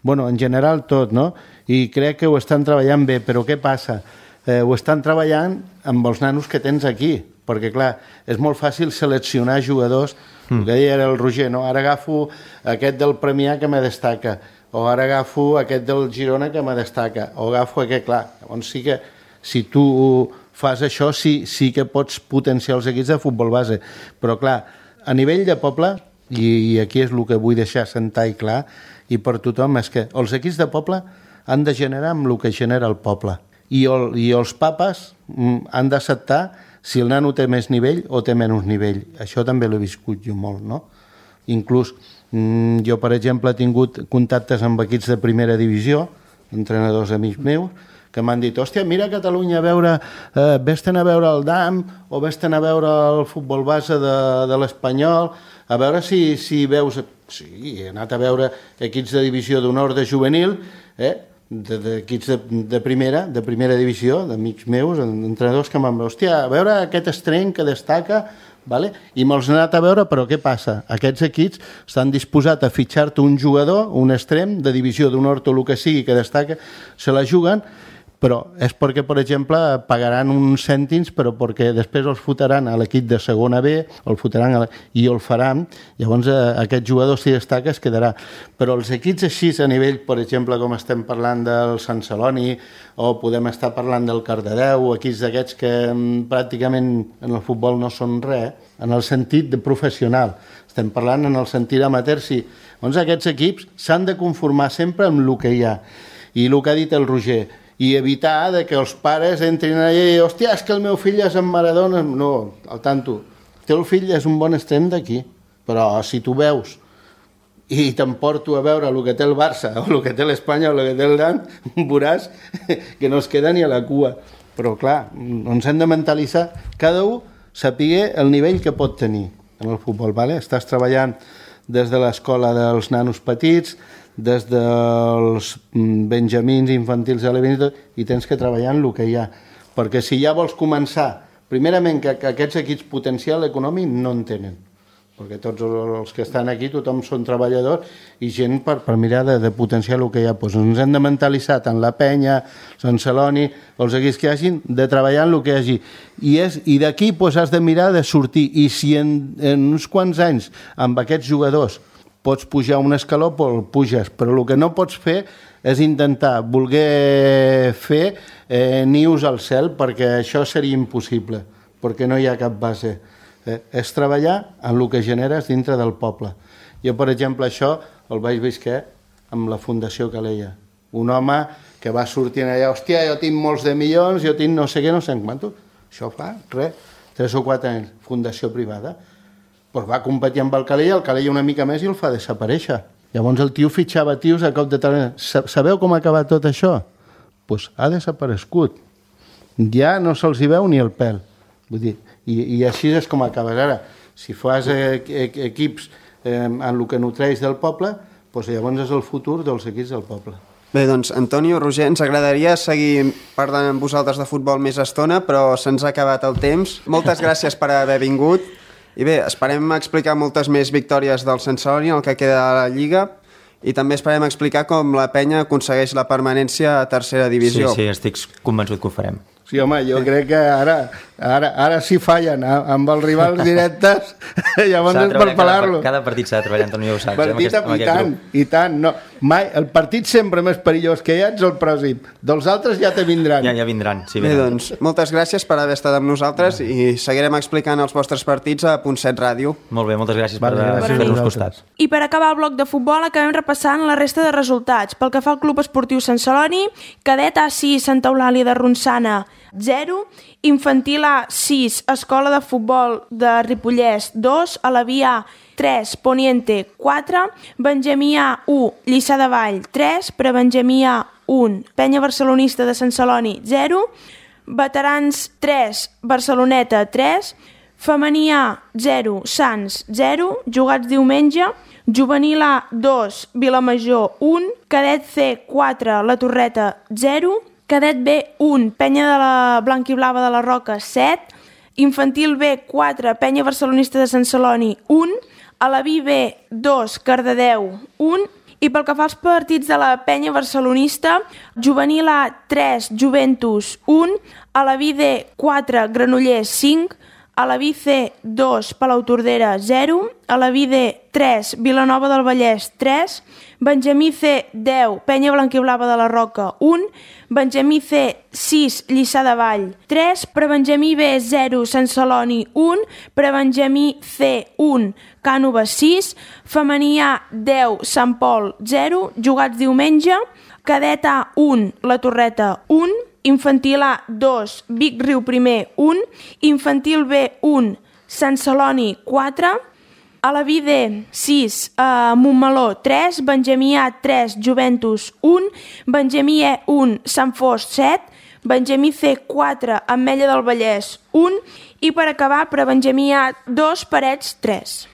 Bueno, en general tot, no? I crec que ho estan treballant bé, però què passa? Ho estan treballant amb els nanos que tens aquí, perquè clar, és molt fàcil seleccionar jugadors, el que deia el Roger, no? Ara agafo aquest del Premià que me destaca, o ara agafo aquest del Girona que me destaca, o agafo aquest, clar, llavors sí que si tu fas això sí que pots potenciar els equips de futbol base, però clar, a nivell de poble, i aquí és el que vull deixar sentar i clar, i per tothom, és que els equips de poble han de generar amb el que genera el poble, i els papes han d'acceptar si el nano té més nivell o té menys nivell. Això també l'he viscut jo molt, no? Inclús jo, per exemple, he tingut contactes amb equips de primera divisió, entrenadors amics meus, que m'han dit, hòstia, mira a Catalunya a veure, vés-te'n a veure el DAM o vés-te'n a veure el futbol base de l'Espanyol, a veure si veus... Sí, he anat a veure equips de divisió d'honor de juvenil, d'equips de primera divisió, d'amics meus, entrenadors que m'han dit, hòstia, a veure aquest estreny que destaca, vale? I me'ls he anat a veure, però què passa? Aquests equips estan disposats a fitxar-te un jugador, un extrem de divisió d'honor o el que sigui que destaca, se la juguen, però és perquè, per exemple, pagaran uns cèntims, però perquè després els fotran a l'equip de segona B, el fotran i el faran, llavors aquest jugador, si destaca, es quedarà. Però els equips així a nivell, per exemple, com estem parlant del Sant Celoni, o podem estar parlant del Cardedeu, equips d'aquests que pràcticament en el futbol no són res, en el sentit de professional. Estem parlant en el sentit amateur, sí. Doncs aquests equips s'han de conformar sempre amb el que hi ha. I el que ha dit el Roger, i evitar que els pares entrin allà i hòstia, és que el meu fill és en Maradona. No, al tanto. El teu fill és un bon extrem d'aquí, però si tu veus i t'emporto a veure el que té el Barça o el que té l'Espanya o el que té el Dan, veuràs que no es queda ni a la cua. Però clar, ens hem de mentalitzar, cada un sapiguer el nivell que pot tenir en el futbol. Vale? Estàs treballant des de l'escola dels nanos petits, des dels benjamins infantils i tens que treballar en el que hi ha. Perquè si ja vols començar, primerament que aquests equips potencial econòmic no en tenen. Perquè tots els que estan aquí, tothom són treballadors i gent per mirar de potenciar el que hi ha. Doncs ens hem de mentalitzar tant la Penya, Sant Celoni, els equips que hi hagi, de treballar en el que hi hagi. I d'aquí has de mirar de sortir. I si en uns quants anys amb aquests jugadors pots pujar un escaló, el puges, però el que no pots fer és intentar voler fer nius al cel, perquè això seria impossible, perquè no hi ha cap base. És treballar en el que generes dintre del poble. Jo, per exemple, això el vaig visquer amb la Fundació Calella. Un home que va sortint allà, hòstia, jo tinc molts de milions, jo tinc no sé què, no sé en quantos. Això fa, 3 o 4 anys, fundació privada. Pues va competir amb el Calella una mica més i el fa desaparèixer. Llavors el tio fitxava tios a cop de talent. Sabeu com ha acabat tot això? Pues ha desaparegut. Ja no se'ls hi veu ni el pèl. Vull dir, i així és com acabes ara. Si fas equips en el que nutreix del poble, pues llavors és el futur dels equips del poble. Bé, doncs, Antonio, Roger, ens agradaria seguir parlant amb vosaltres de futbol més estona, però se'ns ha acabat el temps. Moltes gràcies per haver vingut. I bé, esperem explicar moltes més victòries del Sant Celoni en el que queda de la Lliga i també esperem explicar com la Penya aconsegueix la permanència a tercera divisió. Sí, estic convençut que ho farem. Sí, home, jo crec que ara sí fallen amb els rivals directes, llavors és per pelar-lo. Cada partit s'ha de treballar, Antonio, ho saps. Partit i tant. No, mai, el partit sempre més perillós que hi ha ets el pròxim. Dels altres ja te vindran. Ja vindran, sí. Bé, doncs, moltes gràcies per haver estat amb nosaltres i seguirem explicant els vostres partits a Punt 7 Ràdio. Molt bé, moltes gràcies per fer-nos costat. I per acabar el bloc de futbol acabem repassant la resta de resultats. Pel que fa al Club Esportiu Sant Celoni, cadet A6 Santa Eulàlia de Ronçana 0, infantil A6 Escola de Futbol de Ripollès 2, Alaví A 3, Poniente 4, Benjamí A 1, Lliçà de Vall 3, Prebenjamí A 1, Penya Barcelonista de Sant Celoni 0, Veterans 3, Barceloneta 3, Femení A 0, Sants 0, jugats diumenge, Juvenil A 2, Vilamajor 1, Cadet C 4, La Torreta 0, Cadet B 1, Penya de la Blanquiblava de la Roca 7, Infantil B 4, Penya Barcelonista de Sant Celoni 1, Alaví B 2, Cardedeu 1, i pel que fa als partits de la Penya Barcelonista, Juvenil A 3, Juventus 1, Alaví D 4, Granollers 5, Alaví C 2, Palautordera 0, Alaví D 3, Vilanova del Vallès 3, Benjamí C 10, Penya Blanquiblava de la Roca 1, Benjamí C 6, Lliçà de Vall 3, Prebenjamí B 0, Sant Celoni 1, Prebenjamí C 1, Cànoves 6, Femení A 10, Sant Pol 0, jugats diumenge, Cadet A 1, La Torreta 1, Infantil A 2, Vic Riu primer 1, Infantil B 1, Sant Celoni 4, a la D 6, Montmeló 3, Benjamí A 3, Joventus 1, Benjamí E 1, Sant Fost 7, Benjamí C 4, Ametlla del Vallès 1 i per acabar per a Benjamí A 2, Parets 3.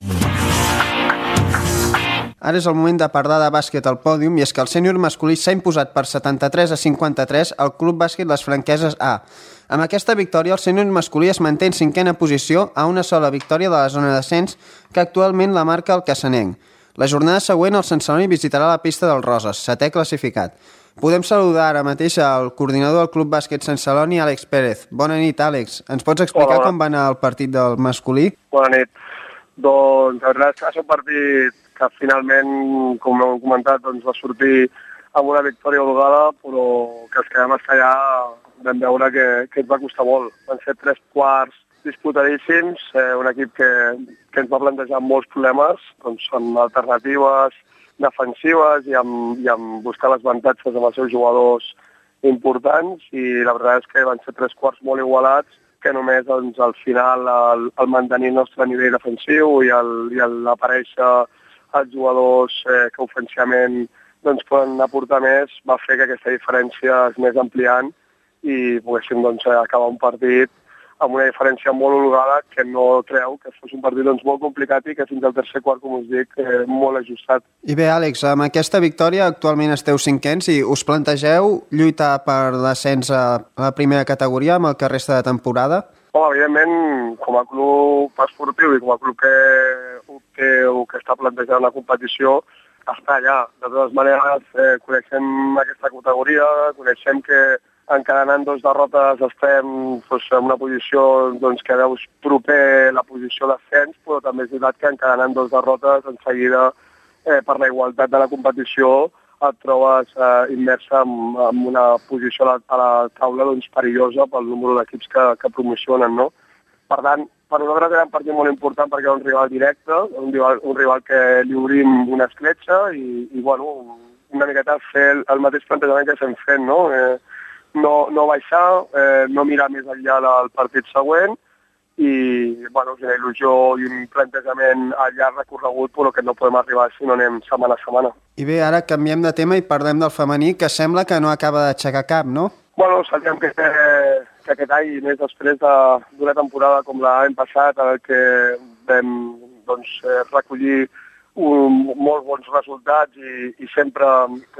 Ara és el moment de parlar de bàsquet al pòdium i és que el sènior masculí s'ha imposat per 73-53 al Club Bàsquet Les Franqueses A. Amb aquesta victòria, el sènior masculí es manté en 5a posició a una sola victòria de la zona d'ascens que actualment la marca el Cassanenc. La jornada següent, el Sant Celoni visitarà la pista del Roses, 7è classificat. Podem saludar ara mateix al coordinador del Club Bàsquet Sant Celoni, Àlex Pérez. Bona nit, Àlex. Ens pots explicar com va anar el partit del masculí? Bona nit. Doncs la veritat és que va ser un partit que finalment, com hem comentat, doncs va sortir amb una victòria holgada, però que els que vam estar allà vam veure que ens va costar molt. Van ser 3 quarts disputadíssims, un equip que ens va plantejar molts problemes, doncs amb alternatives defensives i amb buscar les avantatges amb els seus jugadors importants, i la veritat és que van ser 3 quarts molt igualats, que només doncs, al final el mantenir el nostre nivell defensiu i l'aparèixer els jugadors que ofensivament doncs, poden aportar més va fer que aquesta diferència es més ampliant i poguéssim doncs, acabar un partit amb una diferència molt holgada que no treu que fos un partit doncs, molt complicat i que fins al tercer quart, com us dic, molt ajustat. I bé, Àlex, amb aquesta victòria actualment esteu 5ens i us plantegeu lluitar per l'ascens a la primera categoria amb el que resta de temporada? Home, evidentment, com a club esportiu i com a club que està plantejant la competició, està allà. De totes maneres, coneixem aquesta categoria, coneixem que encadenant 2 derrotes estem doncs, en una posició doncs, que veus proper la posició d'ascens, però també és veritat que encadenant 2 derrotes en seguida, per la igualtat de la competició, et trobes immersa en una posició a la taula doncs, perillosa pel número d'equips que promocionen, no? Per tant, per nosaltres era un partit molt important perquè era un rival directe, un rival que li obrim una escletxa i bueno, una miqueta fer el mateix plantejament que estem fent, no? No baixar, no mirar més enllà del partit següent i bueno, és una il·lusió i un plantejament a llarg recorregut, però que no podem arribar si no anem setmana a setmana. I bé, ara canviem de tema i parlem del femení, que sembla que no acaba d'aixecar cap, no? Bueno, sabíem que aquest any, més després d'una temporada com l'any passat, en què vam doncs, recollir molts bons resultats i sempre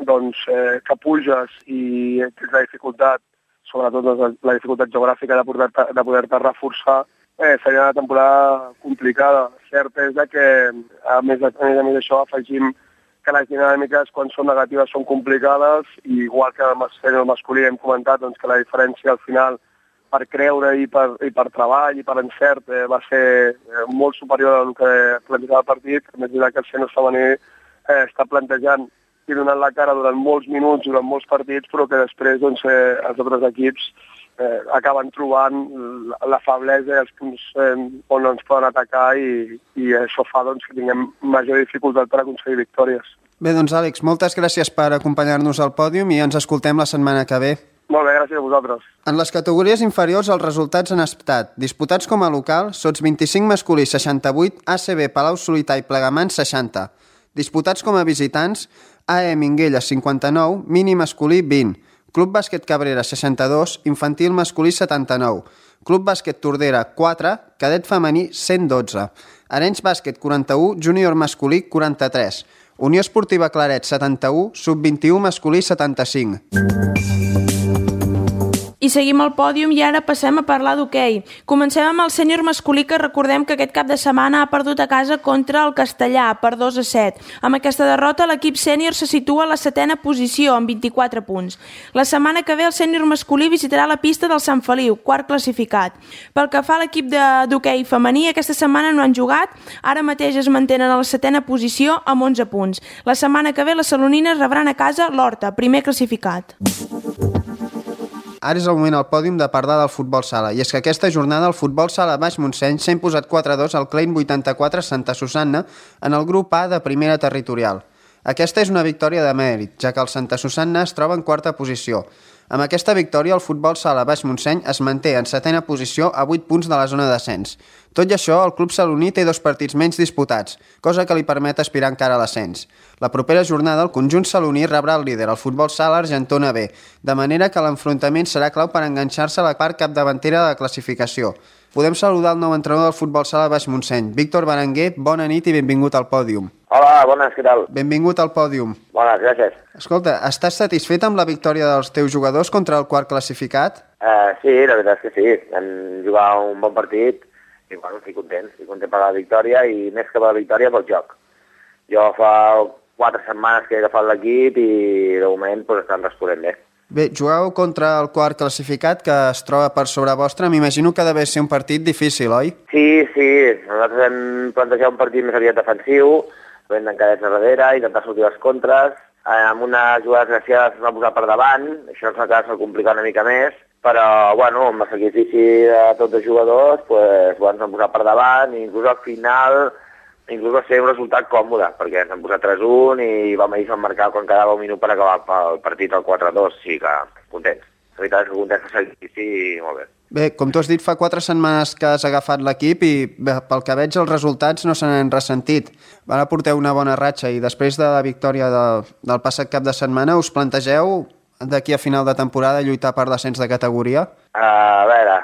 doncs, que puges i tens la dificultat, sobretot la dificultat geogràfica de poder-te reforçar, seria una temporada complicada. Cert és que, a més d'això, afegim que les dinàmiques, quan són negatives, són complicades, i igual que en el masculí hem comentat doncs, que la diferència al final per creure i per treball i per encert va ser molt superior al que plantejava el partit. A més que el sènior femení està plantejant i donant la cara durant molts minuts, durant molts partits, però que després doncs, els altres equips acaben trobant la feblesa i els punts on no ens poden atacar i això fa doncs, que tinguem major dificultat per aconseguir victòries. Bé, doncs Àlex, moltes gràcies per acompanyar-nos al pòdium i ens escoltem la setmana que ve. Molt bé, gràcies a vosaltres. En les categories inferiors els resultats han estat disputats com a local, Sots 25 masculí 68, ACB Palau-solità i Plegamans 60. Disputats com a visitants, AE Minguella 59, Mini masculí 20, Club Bàsquet Cabrera 62, Infantil masculí 79, Club Bàsquet Tordera 4, Cadet femení 112, Arenys Bàsquet 41, Júnior masculí 43, Unió Esportiva Claret 71, Sub-21 masculí 75. I seguim el pòdium i ara passem a parlar d'hoquei. Comencem amb el sènior masculí, que recordem que aquest cap de setmana ha perdut a casa contra el Castellà per 2-7. Amb aquesta derrota l'equip sènior se situa a la 7a posició amb 24 punts. La setmana que ve el sènior masculí visitarà la pista del Sant Feliu, quart classificat. Pel que fa a l'equip d'hoquei femení, aquesta setmana no han jugat, ara mateix es mantenen a la 7a posició amb 11 punts. La setmana que ve les salonines rebran a casa l'Horta, primer classificat. Ara és el moment al pòdium de parlar del futbol sala, i és que aquesta jornada el futbol sala Baix Montseny s'ha imposat 4-2 al Klein 84 Santa Susanna en el grup A de primera territorial. Aquesta és una victòria de mèrit, ja que el Santa Susanna es troba en quarta posició. Amb aquesta victòria, el futbol sala Baix Montseny es manté en 7ª posició a 8 punts de la zona d'ascens. Tot i això, el club saloní té 2 partits menys disputats, cosa que li permet aspirar encara a l'ascens. La propera jornada, el conjunt saloní rebrà el líder, el futbol sala Argentona B, de manera que l'enfrontament serà clau per enganxar-se a la part capdavantera de la classificació. Podem saludar el nou entrenador del futbol sala Baix Montseny, Víctor Berenguer. Bona nit i benvingut al pòdium. Hola, bones, què tal? Benvingut al pòdium. Bones, gràcies. Escolta, estàs satisfet amb la victòria dels teus jugadors contra el quart classificat? Sí, la veritat és que sí. Vam jugar un bon partit i bueno, estic content per la victòria i més que per la victòria pel joc. Jo fa 4 setmanes que he agafat l'equip i de moment pues, estan responent bé. Bé, jugueu contra el quart classificat que es troba per sobre vostre. M'imagino que ha d'haver ser un partit difícil, oi? Sí. Nosaltres hem plantejat un partit més aviat defensiu, vam d'encadets a darrere, intentar sortir les contres. Amb una jugada desgraciada es va posar per davant, això ens va complicar una mica més, però bueno, amb el sacrifici de tots els jugadors pues, ens han posat per davant i inclús al final va ser un resultat còmode, perquè ens han posat 3-1 i vam marcar quan quedava un minut per acabar el partit al 4-2, sí que contents. La veritat és que contents de sacrifici i molt bé. Bé, com tu has dit, fa 4 setmanes que has agafat l'equip i bé, pel que veig els resultats no se n'han ressentit. Ara porteu una bona ratxa i després de la victòria del passat cap de setmana us plantegeu d'aquí a final de temporada lluitar per l'ascens de categoria? A veure,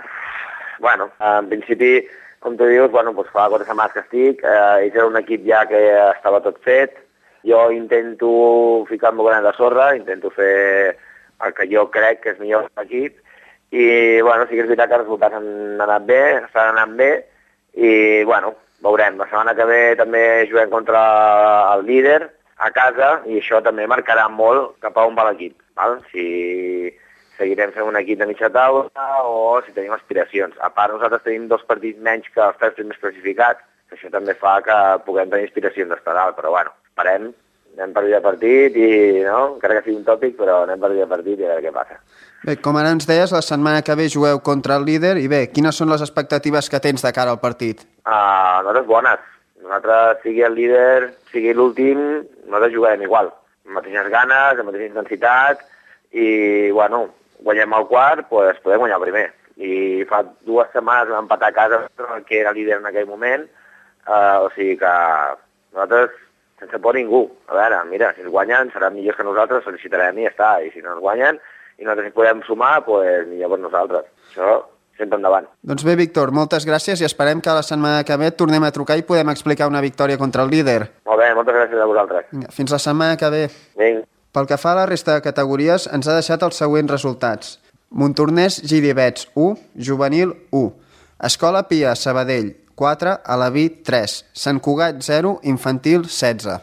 bueno, en principi, com tu dius, bueno, doncs fa 4 setmanes que estic, ells era un equip ja que estava tot fet, jo intento ficar el meu granet de sorra, intento fer el que jo crec que és millor per l'equip, i bueno, sí que és veritat que els resultats han anat bé, estan anant bé, i bueno, veurem. La setmana que ve també juguem contra el líder a casa, i això també marcarà molt cap a on va l'equip, val? Si seguirem fent un equip de mitja taula o si tenim aspiracions. A part, nosaltres tenim 2 partits menys que els 3 primers classificats, que això també fa que puguem tenir aspiracions d'estar dalt, però bueno, esperem, anem partit a partit i, no?, encara que sigui un tòpic, però anem partit a partit i a veure què passa. Bé, com ara ens deies, la setmana que ve jugueu contra el líder i bé, quines són les expectatives que tens de cara al partit? Nosaltres bones. Nosaltres, sigui el líder, sigui l'últim, nosaltres jugarem igual, amb mateixes ganes, amb mateixa intensitat i, bueno, guanyem el quart, doncs podem guanyar el primer. I fa 2 setmanes vam empatar a casa que era líder en aquell moment, o sigui que nosaltres sense por ningú. A veure, mira, si ens guanyen seran millors que nosaltres, felicitarem i ja està. I si no ens guanyen i nosaltres hi podem sumar, doncs millor per nosaltres. Això sempre endavant. Doncs bé, Víctor, moltes gràcies i esperem que la setmana que ve tornem a trucar i podem explicar una victòria contra el líder. Molt bé, moltes gràcies a vosaltres. Fins la setmana que ve. Vinga. Pel que fa a la resta de categories, ens ha deixat els següents resultats. Montornès Girivets 1, Juvenil 1. Escola Pia Sabadell 4, Alaví 3. Sant Cugat 0, Infantil 16.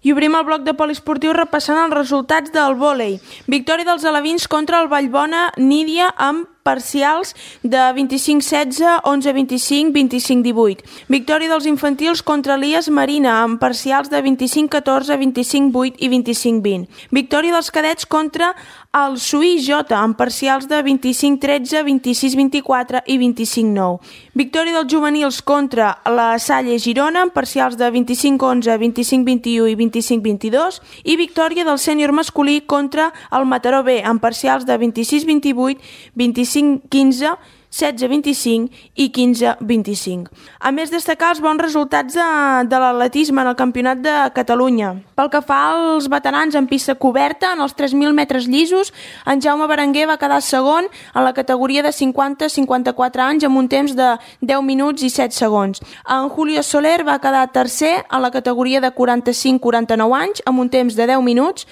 I obrim el bloc de poliesportiu repassant els resultats del vòlei. Victòria dels alevins contra el Vallbona Nídia amb parcials de 25-16, 11-25, 25-18. Victòria dels infantils contra l'IAS Marina amb parcials de 25-14, 25-8 i 25-20. Victòria dels cadets contra el Suí Jota amb parcials de 25-13, 26-24 i 25-9. Victòria dels juvenils contra la Salle Girona amb parcials de 25-11, 25-21 i 25-22 i victòria del sènior masculí contra el Mataró B amb parcials de 26-28, 25-15, 16-25 i 15-25. A més, destacar els bons resultats de l'atletisme en el Campionat de Catalunya. Pel que fa als veterans en pista coberta, en els 3.000 metres llisos, en Jaume Berenguer va quedar segon en la categoria de 50-54 anys amb un temps de 10 minuts i 7 segons. En Julio Soler va quedar tercer en la categoria de 45-49 anys amb un temps de 10 minuts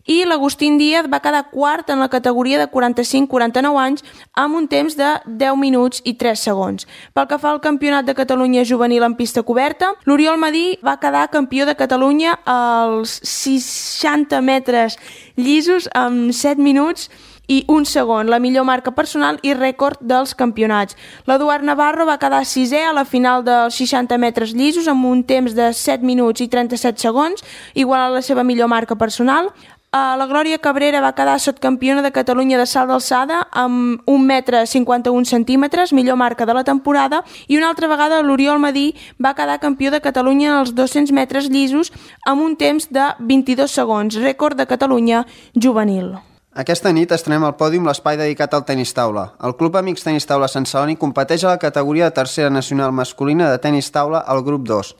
i l'Agustín Díaz va quedar quart en la categoria de 45-49 anys amb un temps de 10 minuts i 3 segons. Pel que fa al Campionat de Catalunya juvenil en pista coberta, l'Oriol Madí va quedar campió de Catalunya als 60 metres llisos amb 7 minuts i 1 segon, la millor marca personal i rècord dels campionats. L'Eduard Navarro va quedar sisè a la final dels 60 metres llisos amb un temps de 7 minuts i 37 segons, igual a la seva millor marca personal. La Glòria Cabrera va quedar subcampiona de Catalunya de salt d'alçada amb 1,51 m, millor marca de la temporada, i una altra vegada l'Oriol Madí va quedar campió de Catalunya en els 200 metres llisos amb un temps de 22 segons, rècord de Catalunya juvenil. Aquesta nit estrenem al pòdium l'espai dedicat al tenis taula. El Club Amics Tenis Taula Sant Celoni competeix a la categoria de tercera nacional masculina de tenis taula al grup 2.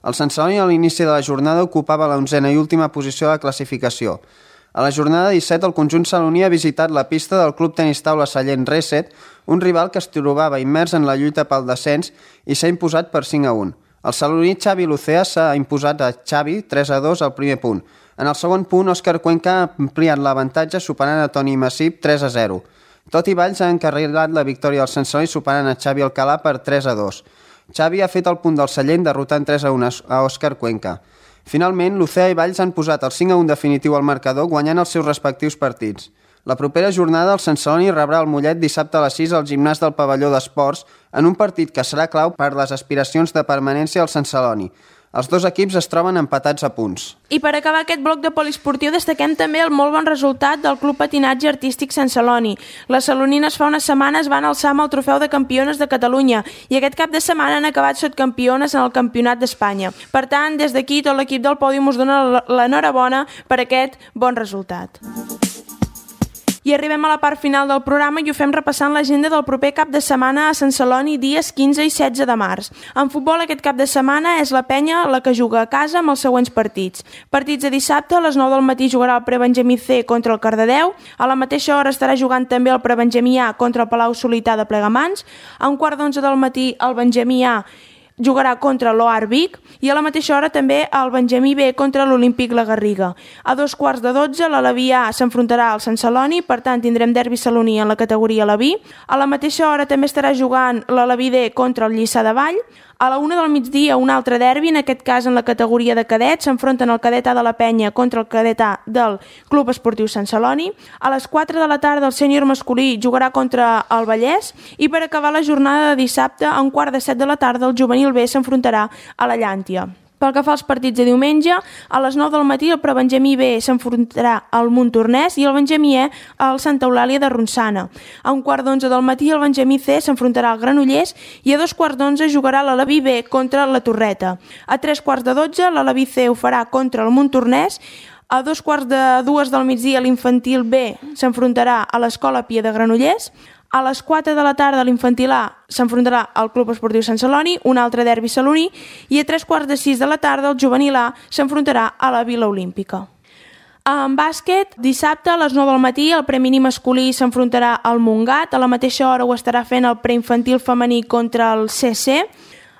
El Sant Celoni a l'inici de la jornada ocupava la 11a i última posició de la classificació. A la jornada 17 el conjunt saloní ha visitat la pista del Club Tenis Taula Sallent Reset, un rival que es trobava immers en la lluita pel descens i s'ha imposat per 5-1. El saloní Xavi Lucea s'ha imposat a Xavi 3-2 al primer punt. En el segon punt, Òscar Cuenca ha ampliat l'avantatge superant a Toni Massip 3-0. Toti Valls ha encarrilat la victòria del Sant Celoni superant a Xavi Alcalà per 3-2. Xavi ha fet el punt del Sallent derrotant 3-1 a Òscar Cuenca. Finalment, Lucea i Valls han posat el 5-1 definitiu al marcador guanyant els seus respectius partits. La propera jornada el Sant Celoni rebrà el Mollet dissabte a les 6 al gimnàs del pavelló d'esports en un partit que serà clau per les aspiracions de permanència al Sant Celoni. Els dos equips es troben empatats a punts. I per acabar aquest bloc de poliesportiu destaquem també el molt bon resultat del Club Patinatge Artístic Sant Celoni. Les salonines fa unes setmanes van alçar amb el trofeu de campiones de Catalunya i aquest cap de setmana han acabat subcampiones en el Campionat d'Espanya. Per tant, des d'aquí tot l'equip del pòdium us dona l'enhorabona per aquest bon resultat. I arribem a la part final del programa i ho fem repassant l'agenda del proper cap de setmana a Sant Celoni dies 15 i 16 de març. En futbol aquest cap de setmana és la Penya la que juga a casa amb els següents partits. Partits de dissabte, a les 9 del matí jugarà el Prebenjamí C contra el Cardedeu, a la mateixa hora estarà jugant també el Prebenjamí A contra el Palau Solità de Plegamans, a 1:15 del matí el Benjamí A jugarà contra l'Oar Vic i a la mateixa hora també el Benjamí B contra l'Olímpic La Garriga. A 2:15 l'Alaví A s'enfrontarà al Sant Celoni, per tant tindrem derbi saloní en la categoria Alaví. A la mateixa hora també estarà jugant l'Alaví D contra el Lliçà de Vall. A la 1 del migdia un altre derbi, en aquest cas en la categoria de cadets, s'enfronten el cadet A de la Penya contra el cadet A del Club Esportiu Sant Celoni. A les 4 de la tarda el sènior masculí jugarà contra el Vallès i per acabar la jornada de dissabte a 1:15 de la tarda el juvenil B s'enfrontarà a la Llàntia. Pel que fa als partits de diumenge, a les 9 del matí el Prebenjamí B s'enfrontarà al Montornès i el Benjamí E al Santa Eulàlia de Ronçana. A 1:15 del matí el Benjamí C s'enfrontarà al Granollers i a 2:15 jugarà l'Alaví B contra la Torreta. A 3:15 l'Alaví C ho farà contra el Montornès. A 2:45 del migdia l'infantil B s'enfrontarà a l'Escola Pia de Granollers. A les 4 de la tarda l'infantil A s'enfrontarà al Club Esportiu Sant Celoni, un altre derbi saloní, i a 3:45 de la tarda el juvenil A s'enfrontarà a la Vila Olímpica. En bàsquet, dissabte a les 9 del matí el preminí masculí s'enfrontarà al Montgat, a la mateixa hora ho estarà fent el preinfantil femení contra el CC.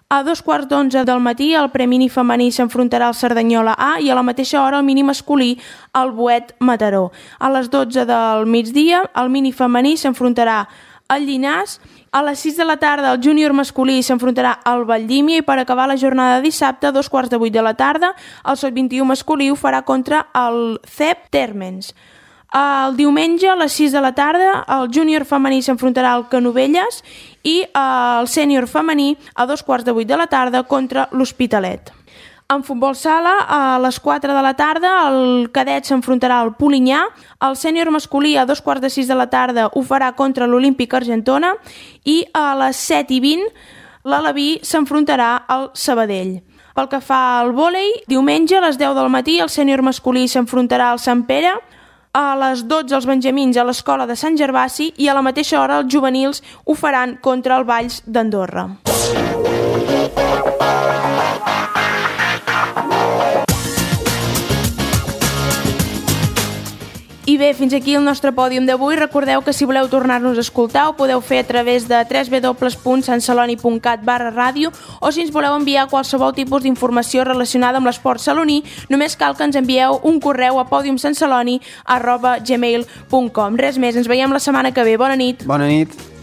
A 2:15 del matí el preminí femení s'enfrontarà al Cerdanyola A i a la mateixa hora el mini masculí al Boet Mataró. A les 12 del migdia el mini femení s'enfrontarà al Llinàs. A les 6 de la tarda el júnior masculí s'enfrontarà al Valldímia i per acabar la jornada de dissabte a 2:15 de la tarda el sub-21 masculí ho farà contra el CEP Térmens. El diumenge a les 6 de la tarda el júnior femení s'enfrontarà al Canovelles i el sènior femení a 2:15 de la tarda contra l'Hospitalet. En futbol sala, a les 4 de la tarda el cadet s'enfrontarà al Polinyà, el sènior masculí a 2:15 de la tarda ho farà contra l'Olímpic Argentona i a les 7:20 l'Alaví s'enfrontarà al Sabadell. Pel que fa al vòlei, diumenge a les 10 del matí el sènior masculí s'enfrontarà al Sant Pere, a les 12 els benjamins a l'Escola de Sant Gervasi i a la mateixa hora els juvenils ho faran contra el Valls d'Andorra. I bé, fins aquí el nostre pòdium d'avui. Recordeu que si voleu tornar-nos a escoltar ho podeu fer a través de www.santceloni.cat/ràdio o si ens voleu enviar qualsevol tipus d'informació relacionada amb l'esport saloní, només cal que ens envieu un correu a podiumsantceloni@gmail.com. Res més, ens veiem la setmana que ve. Bona nit. Bona nit.